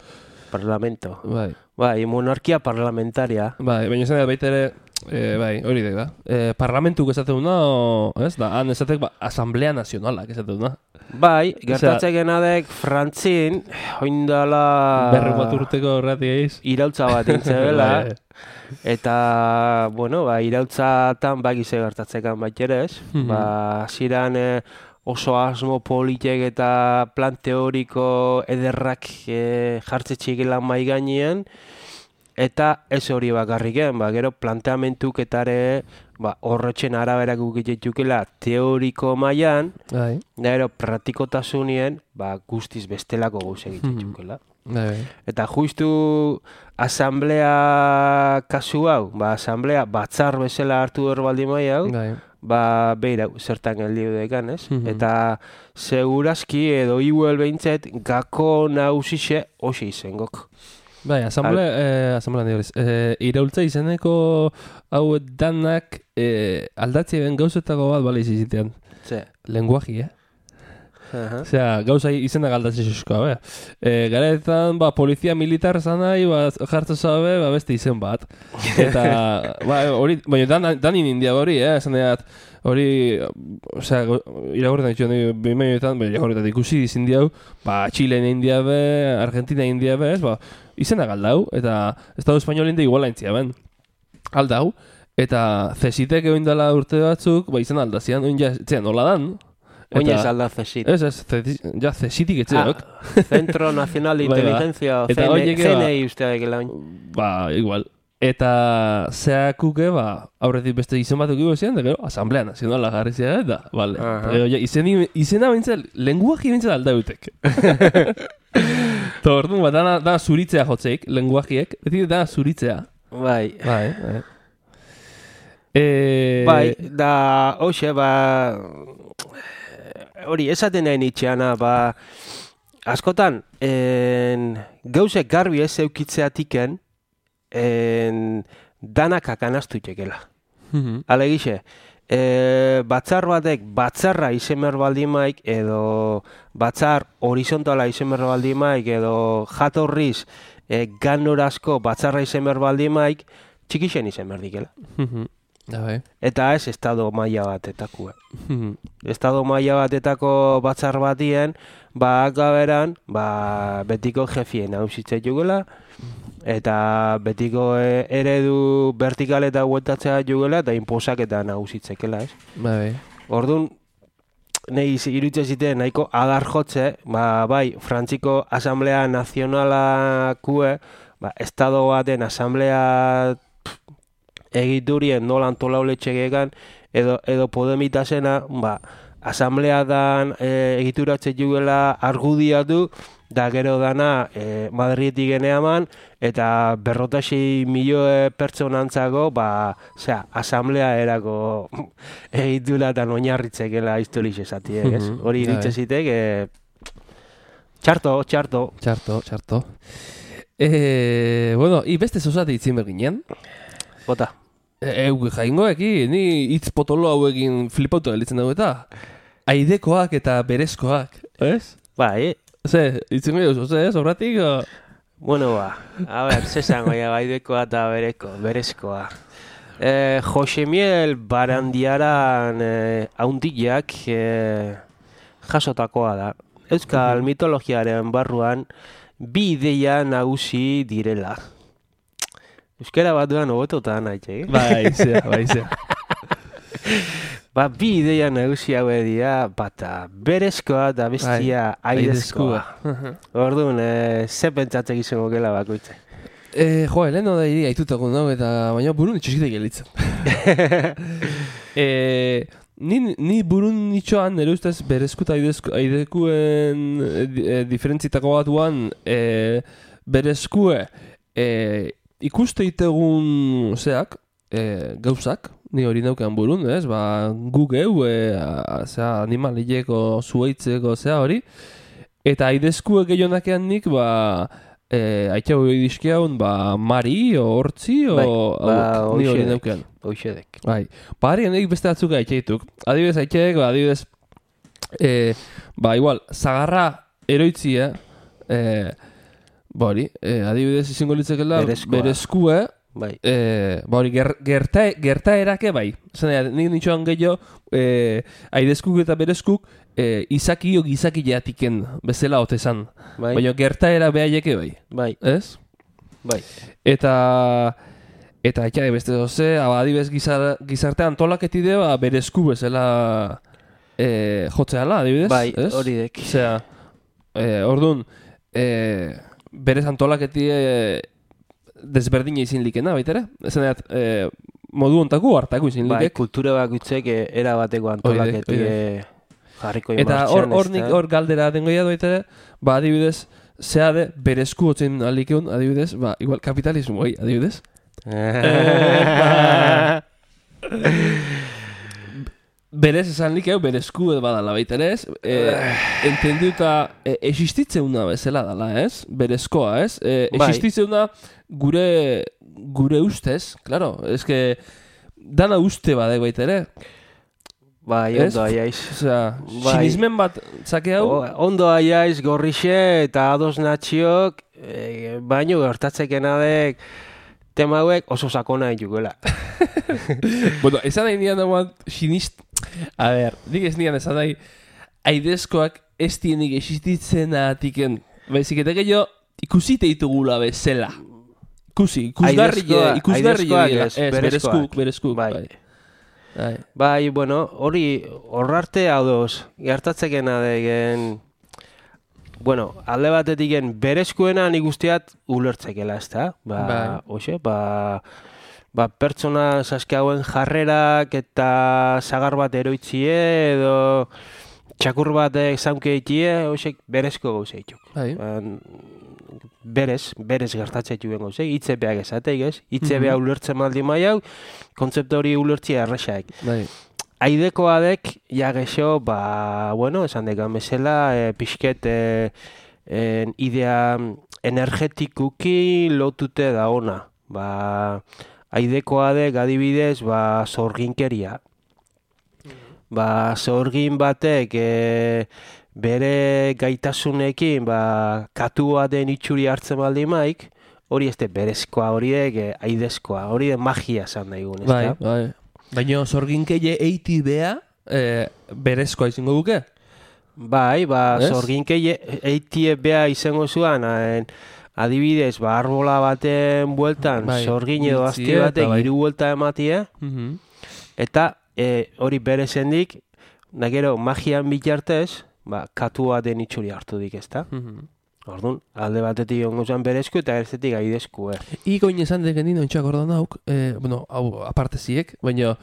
parlamento. Bai, Bai, monarkia parlamentaria. bai, baina esan da baita ere, eh, bai, hori dek da. Eh, parlamentuk esaten duna, o, ez da, han esatek, ba, asamblea nazionalak esaten duna. Bai, gertatzen genadek Frantzin, oindala... Berre bat urteko horretik eiz. irautza bat intzebela, Bai, eta, bueno, ba, irautzatan bagize gertatzekan bat ere ez. Mhm. Ba, ziran eh, oso asmo politek eta plan teoriko ederrak eh, jartze txikelan mai gainean, eta ez hori bakarriken, ba, gero planteamentuketare ba, horretxen araberak ukitetxukela teoriko mailan, bai, da gero praktikotasunien ba, guztiz bestelako gauz egitxukela. bai, bai. Eta justu asamblea kasu hau, ba, asamblea batzar bezala hartu hor baldin mai hau, Bai, ba, beira, zertan geldiu dekan, ez? Mhm. Eta segurazki edo iuel behintzet gako nausixe hoxe izengok. bai, asamblea, eh, asamblea nire, eh, iraultza izeneko hau danak eh, aldatzea ben gauzetako bat bale izizitean. Ze. Lenguaji, eh? Aha. Osea, gauza izenak aldatzen zizkoa, be. E, garetan, ba, polizia militar zanai, ba, jartzen zabe, ba, beste izen bat. Eta, ba, hori, baina dan, danin india hori, eh, esan deat, hori, osea, iragorretan ditu, behimenetan, iragorretan ikusi izin diau, ba, Txilen india be, Argentina india be, ez, ba, izenak aldau, eta Estado Espainol india iguala intzia ben. Aldau, eta zesitek egin dela urte batzuk, ba, izan aldazian, oin ja, etxean, nola dan, Oin ez alda zesit. Ez, ez, zeti- ja, zesitik etxeok. Ah, Centro Nacional de Bai, ba. Inteligencia, Eta horiek, C ba- N I uste daikela oin. Ba, igual. Eta zeakuke, ba, aurretik beste izen bat eukiko zian, da gero, Asamblea Nazionala jarri zian, eta, bale. Aha. Gero, ja, izeni, izena bintzen, lenguaji bintzen aldautek. Eta orduan, ba, dana, dana zuritzea jotzeik, lenguajiek, beti dana zuritzea. Bai. Bai, bai. E... Bai, da, hoxe, ba, hori, esaten nahi nitxeana, ba, askotan, en, gauzek garbi ez eukitzeatiken, en, danak akanastu txekela. Mhm. Alegixe, e, batzar batek batzarra izemer baldimaik edo batzar horizontala izemer baldimaik edo jatorriz e, ganorazko batzarra izemer baldimaik txikixen izemer dikela. Mhm. Ja, bai. Eta ez estado maila batetako. Mhm. Estado maila batetako batzar batien, ba akaberan, ba betiko jefien hausitzen jugela, eta betiko e, eredu vertikal eta hueltatzea jugela, eta inposaketa nagusitzekela, ez? Bai. Orduan, nahi iruditzen ziten nahiko adar jotze, ba, bai, Frantziko Asamblea Nazionalakue, ba, estado baten asamblea egiturien nola antolauletxegekan, edo, edo Podemitasena, ba, asamblea dan e, egituratze jugela argudiatu, da gero dana e, Madrietik geneaman, eta berrotasei milioe pertsonantzako, ba, osea, asamblea erako egitura eta oinarritzekela historiz esatiek, ez? Mhm, Hori iritze zitek, e, txarto, txarto. Txarto, txarto. Eh, bueno, i beste zozate itzin berginen. Bota. Euk jaingoeki, ni hitz potolo hauekin flipautu gelitzen dugu eta aidekoak eta berezkoak, ez? Bai, Ze, itzin dugu, ze, sobratik? O... bueno, ba, a ber, zezango ja, baidekoa eta bereko, berezkoa. Eh, Josemiel Barandiaran eh, haundiak eh, jasotakoa da. Euskal mitologiaren barruan bi ideia nagusi direla. Euskara bat duan hobetota nahi, eh? Bai, zea, bai, zea. Ba, bi ideia nagusi haue dira, bata berezkoa eta bestia aidezkoa. Orduan, eh, ze pentsatzek izango gela bakoitze. Eh, jo, leheno da iri aitutako nago eta baina burun itxositek gelitzen. eh, ni, ni burun itxoan, nire ustez, berezko eta aidezko, aidekuen e, diferentzitako batuan, e, berezkue e, ikuste itegun zeak, e, gauzak, ni hori naukean burun, ez? Ba, gu geu, e, a, zera, animalieko zuaitzeko zea hori, eta aidezkue gehionakean nik, ba, e, aitxau dizkiaun, ba, mari, o hortzi, o Bai, ba, hauek, ni hori hoxedek. naukean. Hoxedek. Bai, ba, harri nik beste batzuk aitxaituk. Adibidez aitxaik, ba, adibidez, e, ba, igual, zagarra eroitzia, e, ba hori, e, adibidez izango litzekela, Berezkoa. berezkue, Bai. e, ba hori, ger, gerta, gertaerake bai. Zena, nik nitxoan gehiago, e, aidezkuk eta berezkuk, e, izaki o gizaki jatiken bezala otezan. Bai. Baina gertaera behaieke bai, Bai. ez? Bai. Eta eta etxai beste doze, adibidez gizar, gizarte antolaketide ba, berezku bezala e, jotzeala, adibidez, Bai, ez? hori dek. Osea, e, orduan, e, berez antolaketide desberdina izin likena, baitere? Ezen dut, e, modu ontako hartako izin Bai, likek. kultura bakutzek eh, era bateko Hori dek, antolaketi hori eh, jarriko Eta martxan, hor, hor ezta? nik hor galdera dengoia doitere, ba adibidez, zeade berezku hotzen alikeun, adibidez, ba, igual kapitalismo, oi, adibidez. Berez esan likeu, berezku edo badala baiterez, e, entendiuta e, existitzeuna bezala dala, ez? Berezkoa, ez? E, Bai. existitzeuna gure, gure ustez, claro, eske dana uste badek baitere. Bai, Ez? ondo aiaiz. Osea, Bai. sinismen bat zake hau, O, ondo aiaiz, gorrixe eta ados natxiok, e, baino gertatzeken adek tema hauek oso sakona ditugela. bueno, esan nahi nian dagoan sinist... A ber, nik ez nian esan nahi aidezkoak ez dienik existitzen atiken. Baizik eta gehiago ikusite ditugula bezala. Ikusi, ikusgarri, Aidezkoa- ikusgarri aidezkoak dira. ez, Ez, berezkoak. berezkuk, berezkuk. Bai. Bai. Bai. Bai, bueno, hori horrarte ados, gertatzeken adegen, bueno, alde batetiken berezkoena nik usteat ulertzekela, ezta? Ba, Bai. hoxe, ba, ba, pertsona saskiauen jarrerak eta sagar bat eroitzie edo txakur batek zaunke itie, hoxe, berezko gauza ituk. Bai. Ba, berez, berez gertatzen juen gauza, hitzepeak esateik, ez? Hitzepea Mhm. ulertzen maldi maiau, kontzeptu hori ulertzia erresaik. Bai. Aidekoadek, ja gexo, ba, bueno, esan dekan bezala, e, pixket e, en idea energetikuki lotute da ona. Ba, aidekoa dek adibidez, ba, zorginkeria. Ba, zorgin batek e, bere gaitasunekin, ba, katua den itxuri hartzen baldin maik, hori ez de berezkoa, hori dek e, aidezkoa, hori de magia esan daigun, ez Bai, da? bai. Baina zorginkeie eiti bea, e, berezkoa izango duke? Bai, ba, Ez? zorginkeie eitie bea izango zuan, haen, adibidez, ba, arbola baten bueltan, Bai, zorgin edo asti biltzie eta batek bai. hiru buelta ematie, Mhm. eta e, hori berezendik, da gero magian bitartez, ba, katua den itxuri hartu dik, ezta? Mhm. Orduan, alde batetik ongo zen berezku eta erzetik aidezku, eh? Ikoin esan deken dino ontsak ordan hauk, e, bueno, hau aparte ziek, baina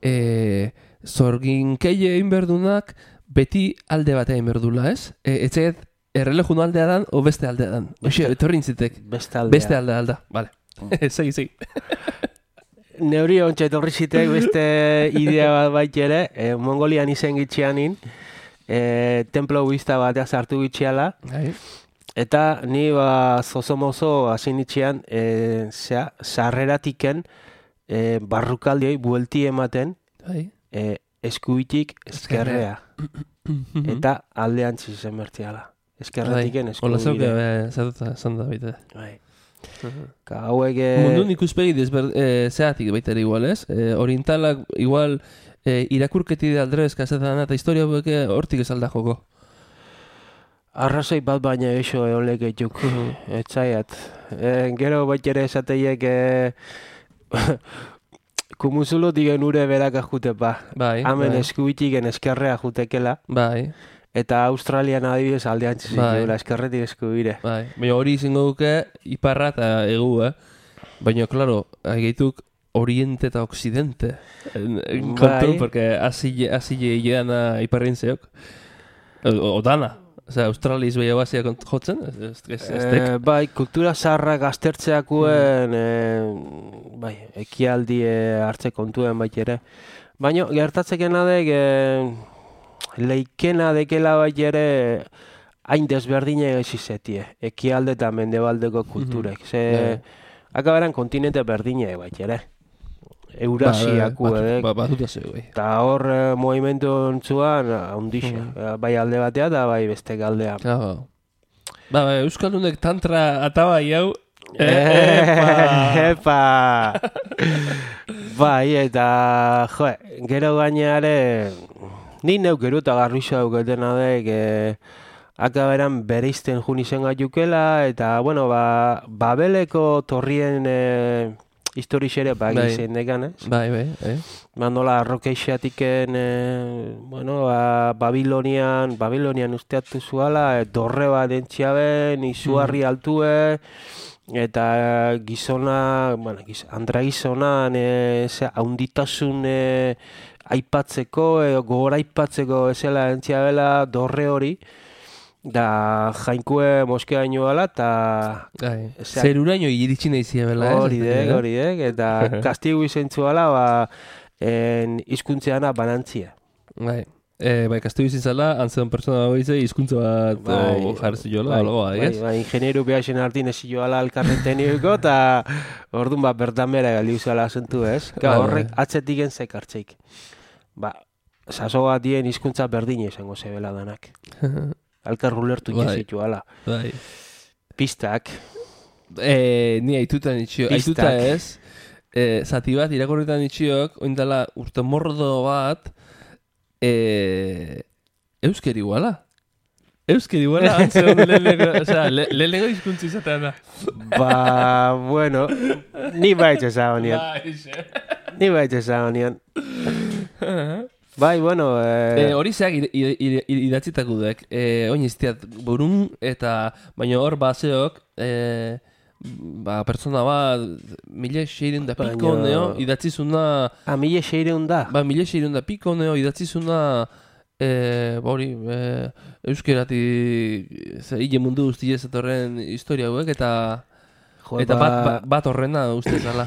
e, zorginkeie egin berdunak beti alde batea egin berdula, ez? E, etxeet errelejun aldea dan, o beste aldea dan. Oxe, etorri intzitek. Beste aldea. Beste aldea alda, vale. Segi, segi. Neuri ontsa etorri zitek beste idea bat bait ere, e, Mongolian izen gitxianin, e, templo budista batea sartu gitxiala, Bai, eta ni ba zozomozo hasi nitxean, e, zea, sarreratiken e, barrukaldioi buelti ematen, bai. e, eskubitik eskerrea. Eta aldean zen bertiala. Eskerratiken Ola zauke, eskubide. zatuta, esan da baita. Bai. Ka hauek... e, Mundun ikuspegi desber, e, zeatik baita ere igual, ez? E, orientalak igual e, irakurketi de aldrez kasetan eta historia bueke hortik ez alda joko. Arrazoi bat baina eso eolek etuk, etzaiat. E, gero bat ere esateiek e, kumuzulo digen ure berak ajute pa. Bai, Hemen bai. eskubitiken eskerrea jutekela, Bai, eta Australian adibidez aldean txizik Bai. bai. eskerretik eskubire. bai. Baina hori izango duke iparra eta egu, eh? Baina, klaro, gaituk oriente eta occidente. En, en Bai. kontu, porque así así llegan a iparrin zeok. O, o dana. O sea, Australis behia bazia jotzen, ez, ez, ez, ez tek. Eh, bai, kultura zaharrak aztertzeakuen, eh, bai, ekialdi eh, hartze kontuen bait ere. Baina, gertatzekena dek, eh, leikena dekela bait ere, hain desberdine ezizetie, ekialde eta mendebaldeko kulturek. Ze, Bai. akaberan kontinente berdine bait ere. Eurasiaku Ba, edek. ba, batuta zeu, bai. Eta hor eh, movimentu ontzuan, handixa. Bai alde batea eta bai beste galdea. Claro. Ba, ba, Euskaldunek tantra atabai hau. Epa! Epa! Bai, eta, jo, gero gaineare, ni neu gero eta garrisa dauketena dek, e, akaberan bereizten jun izen gaiukela, eta, bueno, ba, Babeleko torrien e, historiz ere ba Bai. gizen dekan, ez? Bai, bai, bai. Ba, nola arrokeixatiken, e, bueno, ba, Babilonian, Babilonian usteatu zuala, e, dorre bat entxiaben, izugarri altue, eta gizona, bueno, giz, andra gizonan, e, ze, haunditasun e, aipatzeko, e, gogor aipatzeko ezela entxiabela dorre hori, da jainkue moskeaino gala, eta Bai. Osea, Zeruraino iritsi nahi ziabela, ez? hori dek, hori dek, eta kastigu izentzu gala, ba, en, izkuntzeana banantzia. Bai. E, bai, kastu bizitzala, antzean pertsona bagoize, hizkuntza bat Bai, o, jarri jola, bai, algo, bai, ez? bai, ingenieru behasen hartin ezi joala alkarren tekniko, eta orduan ba, bertan bera galdi uzala asuntu, ez? Ka, Bai, horrek bai. atzetik entzek hartzeik. Ba, saso bat dien hizkuntza berdine izango zebela danak. Alkar ulertu Bai. jezitu ala. Bai. Pistak, E, ni aituta nitxio, Pistak. aituta ez, e, zati bat irakorretan nitxiok, oindala urte mordo bat, e, euskeri guala. Euskeri guala, antzeon lehenengo, osea, le, lehenengo hizkuntza izatean da. ba, bueno, ni baitz esan honian, Bai, xe. ni baitz esan honian. Bai, bueno, E, eh, hori zeak id- id- id- id- idatzitako dek, e, oin iztiat burun, eta baina hor baseok, e, ba, pertsona bat, mila seireun da piko Baina- neo, idatzizuna, a mila seireun da. ba, mila seireun da piko neo, idatzizuna, e, ba, hori, e, euskerati, ze, hile mundu guztiez etorren historia hauek, eta, Jo, eta ba, bat, bat, bat horrena uste zala.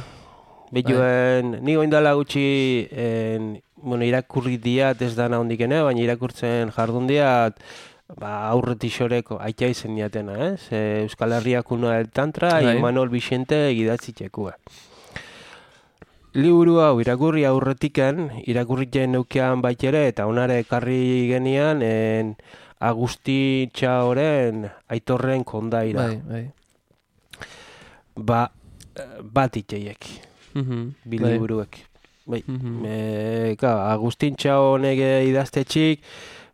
Bituen, ni goindala gutxi, en, bueno, irakurri diat ez dana hondikene, baina irakurtzen jardun diat ba, aurretik xoreko aita izen diatena, ez? E, Euskal Herriak una del Tantra, Bai. Imanol Vicente gidatzitxekua. Liburu hau irakurri aurretiken, irakurritzen neukean baitere, eta onare ekarri genian, en Agustin Txaoren Aitorren kondaira. Bai, bai. Ba, bat itxeiek, Mhm, bi bai. liburuek. Bai, Mhm. e, ka, Agustin Txaonek idaztetxik,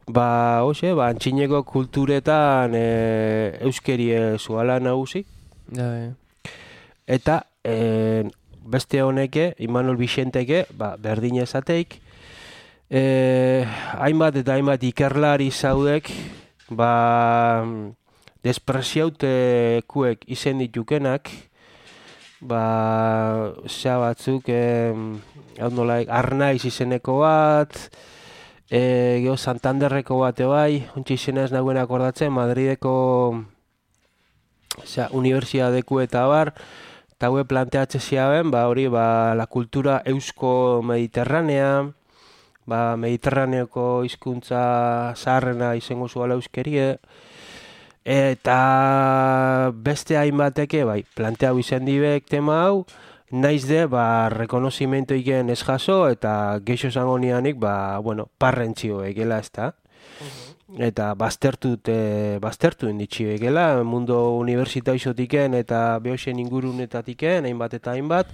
ba, hoxe, ba, antxineko kulturetan e, euskerie zuala nagusi, Ja, bai. eta e, beste honeke, Imanol Vicenteke, ba, berdin ezateik, e, hainbat eta hainbat ikerlari zaudek, ba, despreziautekuek izen ditukenak, ba, zea batzuk, e, hau nolaik, Arnaiz izeneko bat, e, geho Santanderreko bate bai, untxe izena ez naguen akordatzen, Madrideko zea, unibertsiadeku eta bar, eta hue planteatze ziaben, ba, hori, ba, la kultura eusko mediterranea, ba, mediterraneoko hizkuntza zaharrena izango zuala euskerie, eta beste hainbateke, bai, planteau izan dibek tema hau, naiz de, ba, rekonozimento iken ez jaso, eta geixo zango nianik, ba, bueno, parrentzio egela, ez da? Eta baztertu, te, baztertu inditxio egela, mundo unibertsitaizotiken eta behoxen ingurunetatiken, hainbat eta hainbat.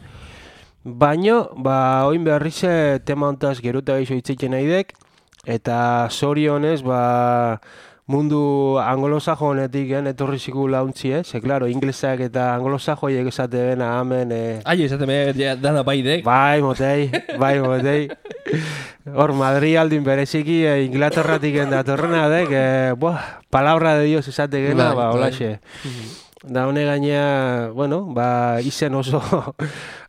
Baino, ba, oin berrize tema hontaz geruta geixo hitzeiten naidek, eta zorionez, ba, mundu anglosajo honetik etorri ziku launtzi, eh? Ze, klaro, inglesak eta anglosajoiek esate bena hemen... Eh... Aio, esate me dana baidek. Bai, motei, bai, motei. Hor, Madri aldin bereziki eh, Inglaterratik datorrena dek, eh, buah, palabra de Dios esate gena, Bai, ba, bai. holaxe. Da hone gaina, bueno, ba, izen oso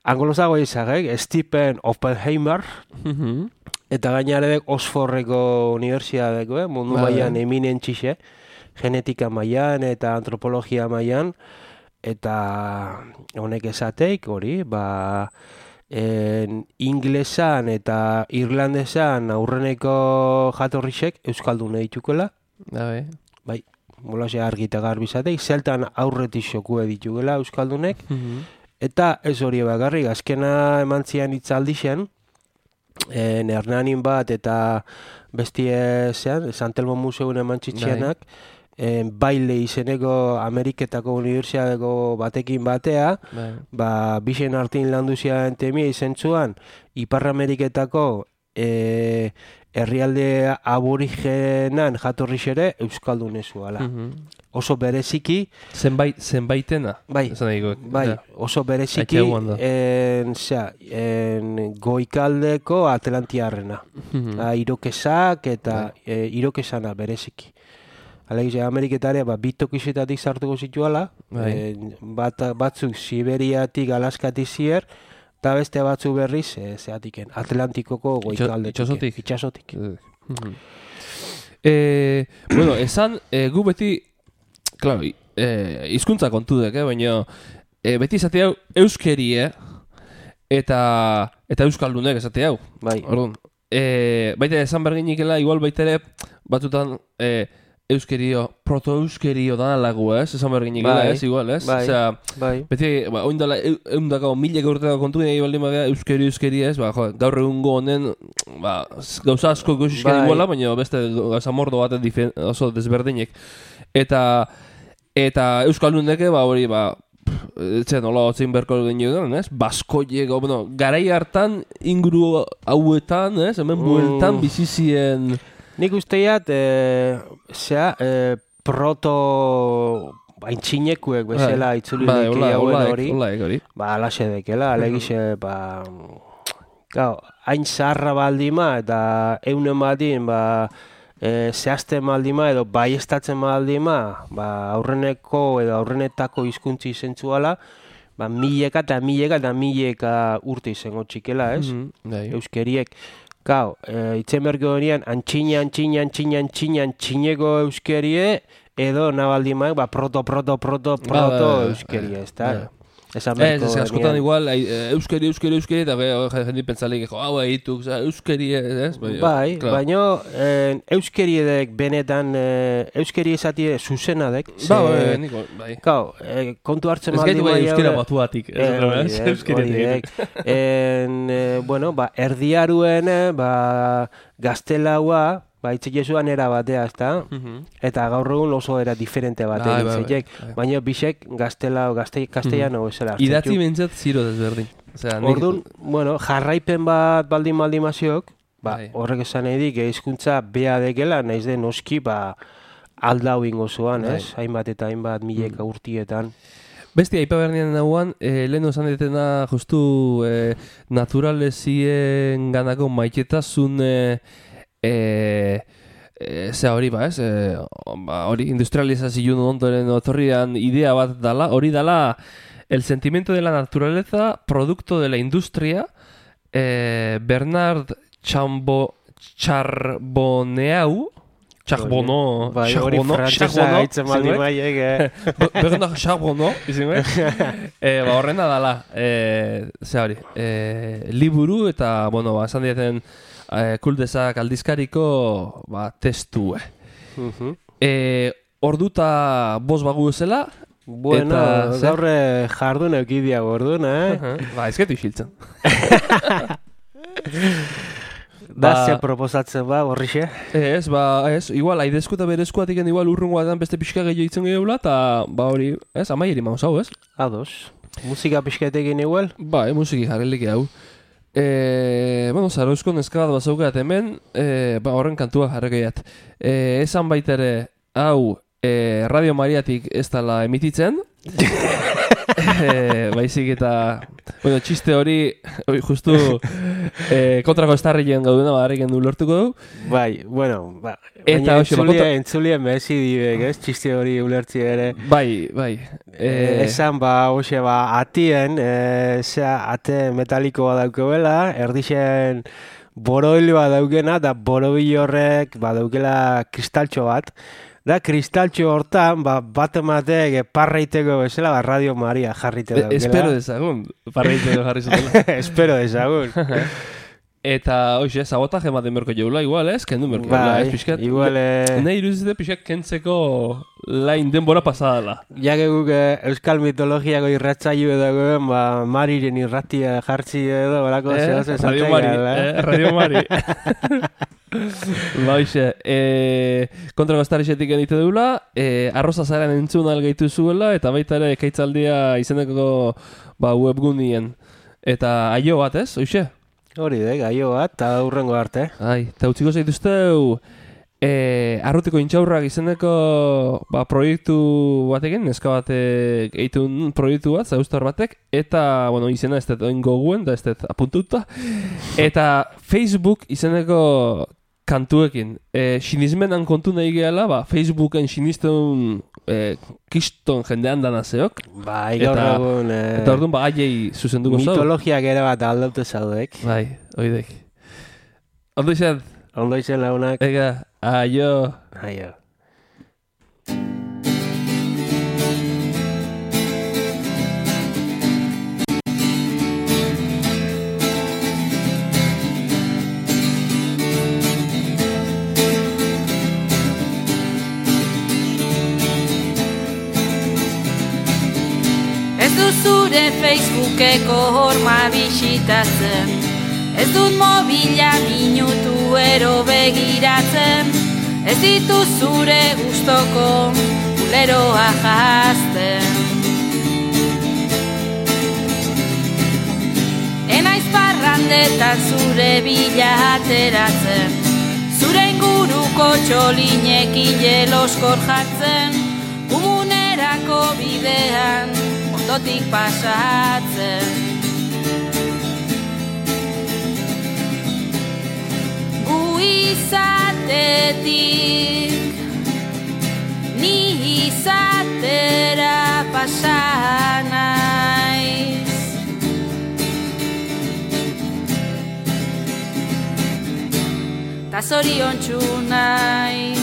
anglosago izagek, Stephen Oppenheimer, Mhm. eta gainarek Oxfordeko unibertsiadeko, eh? Mundu Bai. mailan eminentzixe, genetika mailan eta antropologia mailan, eta honek esateik hori, ba, en, inglesan eta irlandesan aurreneko jatorrisek euskaldune ditukela, Ja, bai. bai, molase argi eta garbi izateik, zeltan aurretik xokue ditugela euskaldunek, Mhm. eta ez hori bakarrik, azkena eman zian itzaldixen, en Hernanin bat eta bestie zean, Santelmo Museun eman txitxianak, en, baile izeneko Ameriketako unibertsiadeko batekin batea, Bai. ba, bixen artin landu zian temia izentzuan, Ipar Ameriketako e, herrialde aborigenan jatorriz ere euskaldun ezuala. Mhm. Oso bereziki, Zenbait, zenbaitena. bai, Esan nahiko. bai, Ja. oso bereziki, Aitxe guanda. en, zera, en goikaldeko Atlantiarrena. Mhm. Ah, irokesak eta e, irokesana bereziki. Alegiz, Ameriketare, ba, bitokizetatik sartuko zituala, Bai. e, bat, batzuk Siberiatik Alaskatik zier, eta beste batzu berriz, e, zeatiken, Atlantikoko goikaldetik. itxasotik. Itxasotik. Mhm. Eh, bueno, esan, eh, gu beti, claro, eh, hizkuntza kontudek, eh, baina eh, beti esate hau euskerie eta eta euskaldunek esate hau. Bai. Orduan, eh, baita esan berginikela, igual baita ere batzutan eh, euskerio, proto-euskerio dana lagu, ez? Esan berginikela, Bai, ez? Igual, ez? bai. Osea, Bai. beti, ba, oindala, eundako mileko urteko kontu nahi baldin badea euskeri euskeri ez, ba, jo, gaur egungo honen, ba, gauza asko gauzizken Bai. iguala, baina beste gauza mordo bat difen, oso desberdinek. Eta, eta euskalduneke, ba, hori, ba, etxe nola otzein berko genioen, ez? Baskoiek, o, bueno, garai hartan inguru hauetan, ez? Hemen Mm. bueltan bizizien... Nik usteiat, e, zea, e, proto aintzinekuek bezala itzuli bai, diki hola, hauen holaek, hori, holaek hori. ba, alaxe dekela, alegize, ba, gau, hain zaharra baldima eta eunen badin, ba, e, zehazten baldima edo baiestatzen baldima, ba, aurreneko edo aurrenetako hizkuntzi izentzuala, ba, mileka eta mileka eta mileka urte izango txikela, ez? Mhm, bai. Euskeriek. Gau, e, itzen berko horian, antxina, antxina, antxina, antxina, antxineko euskerie, edo nabaldimaek, ba, proto, proto, proto, Ba, ba, proto ba, euskerie, ba, ez da? ba. Esan Ez, beharko ez, askotan genien. igual, ai, eh, euskeri, euskeri, euskeri, eta gero jendi pentsalik, jo, hau egituk, euskeri, ez? Bai, claro. baina eh, euskeri edek benetan, eh, euskeri esatie zuzena dek. Ba, bai, niko, bai. Kau, eh, kontu hartzen Ez baldin gaitu bai bai euskera haure- batuatik, ez? Eh, hori ez? dek, Euskera hori egiten. dek. En, eh, bueno, ba, erdiaruen, eh, ba, gaztelaua, ba, itzekezuan era batea, ezta? Mhm. Eta gaur egun oso era diferente bat Bai, egin bai, zeitek. bai, bai. Baina bisek gaztelau, gazte, castellano bezala hartzen Idatzi zu. bentsat ziro desberdin. Osea, nik- Orduan, bueno, jarraipen bat baldin baldin maziok, ba, Bai. horrek esan nahi dik, hizkuntza bea dekela, naiz den noski, ba, aldau ingo zuan, Bai. ez? Hainbat eta hainbat mileka urtietan. Besti, aipa bernian nagoan, eh, lehen osan detena justu eh, naturalezien ganako maitetasun eh, eh, eh, zea hori ba, ez? Eh, ba, hori industrializazio ondoren otorrian idea bat dala, hori dala el sentimiento de la naturaleza, producto de la industria, eh, Bernard Chambo, Charbonneau, Charbonneau, Bai, hori Charbonneau, frantzesa Charbonneau, gaitzen baldin zenbait? baiek, eh? Bernard Charbonneau, izan eh, ba, horrena dala, eh, ze hori, eh, liburu eta, bueno, ba, esan dieten eh, kuldesak aldizkariko, ba, testu, eh. Mhm. Eh, orduta bost bagu zela, Bueno, Eta, zer? gaur eh, jardun eukidia gordun, eh? ba, ezketu isiltzen. Da, Ba- ze proposatzen ba, horrixe? Ez, ba, ez, igual, aidezko eta berezkoatik igual urrungo batean beste pixka gehiago itzen gehiagula, eta, ba, hori, ez, amaieri maus hau, ez? Ados. Musika pixkaetekin igual? Ba, e, musiki jarrelik hau. E, bueno, Zarauzko neska bat bazaukat hemen, e, ba, horren kantua jarrekeiat. E, esan baitere, hau, e, Radio Mariatik ez dala emititzen, e, baizik eta, bueno, txiste hori, hori justu e, kontrako estarrien gaudena, ba, harriken du lortuko du. Bai, bueno, ba, Eta baina hoxe, ba, entzulien, kontra- entzulien behezi dibek, ez? Txiste hori ulertzi ere. Bai, bai. E, esan, ba, hoxe, ba, atien, e, zea, ate metalikoa daukebela, erdixen boroiloa daukena, da borobil horrek, ba, daukela kristaltxo bat. Da, kristaltxo hortan, ba, bat ematek parraiteko bezala, ba, Radio Maria jarrite daukela. Espero dezagun, parreiteko jarri zutela. Espero dezagun. Eta, hoxe, sabotaje ematen berko jaula, igual, ez? Kendu berko jaula, ez, Bai, pixkat. igual, eh, Nahi iruzite pixkat kentzeko lain denbora pasadala. jake guk eh, euskal mitologiako irratzaio dagoen, ba, Mariren irratia jartzi edo, balako Eh, zehaz esaten Radio Mari, gara, eh, Radio Mari. Ba, hoxe, eh, kontrako estarixetik egite dugula, eh, arroza zaren entzun algeitu zuela, eta baita ere ekaitzaldia izeneko ba, webgunien. Eta aio bat, ez, hoxe? Hori de, gaio bat, eta hurrengo arte. Ai, eta utziko zaituzteu e, arrutiko intxaurrak izeneko ba, proiektu batekin, neska batek egitun proiektu bat, zauztar batek, eta, bueno, izena ez dut oin goguen, da ez dut apuntuta, eta Facebook izeneko kantuekin. E, sinismenan kontu nahi gehala, ba, Facebooken sinisten e, kiston jendean danazeok, Bai, gaur Eta- egun, eh, eta orduan ba, aiei zuzenduko zau. mitologiak ere bat aldaute zaudek. Bai, oidek. Ondo izan, Ondo izen launak. ega, aio. Aio. Ez du zure Facebookeko horma bisitatzen, ez dut mobila minutu ero begiratzen, ez ditu zure gustoko kuleroa jazten. Enaiz parrandetan zure bila ateratzen, zure inguruko txolinekin jeloskor jartzen, umunerako bidean ondotik pasatzen. Gu izatetik ni izatera pasa naiz. Ta zoriontsu naiz.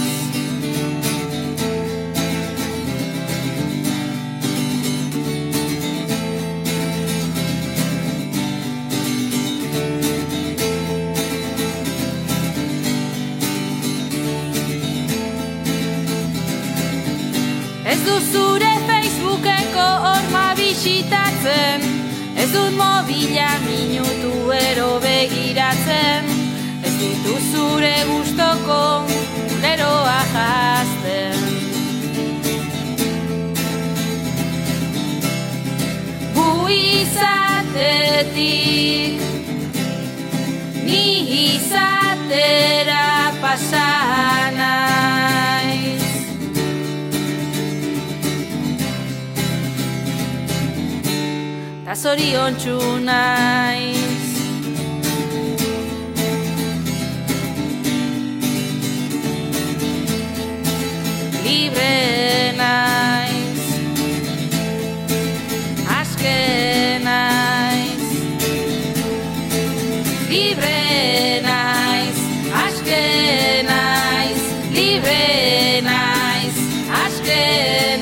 dut zure Facebookeko horma bisitatzen, ez dut mobila minutu ero begiratzen, ez ditu zure gustoko leroa jazten. Gu izatetik ni izatera pasa naiz. Ta zoriontsu naiz. Libre naiz. Aske naiz. Libre naiz. Aske naiz. Libre naiz. Aske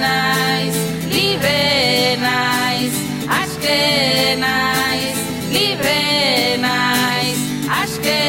naiz. Libre naiz. Aske naiz. Libre naiz. Aske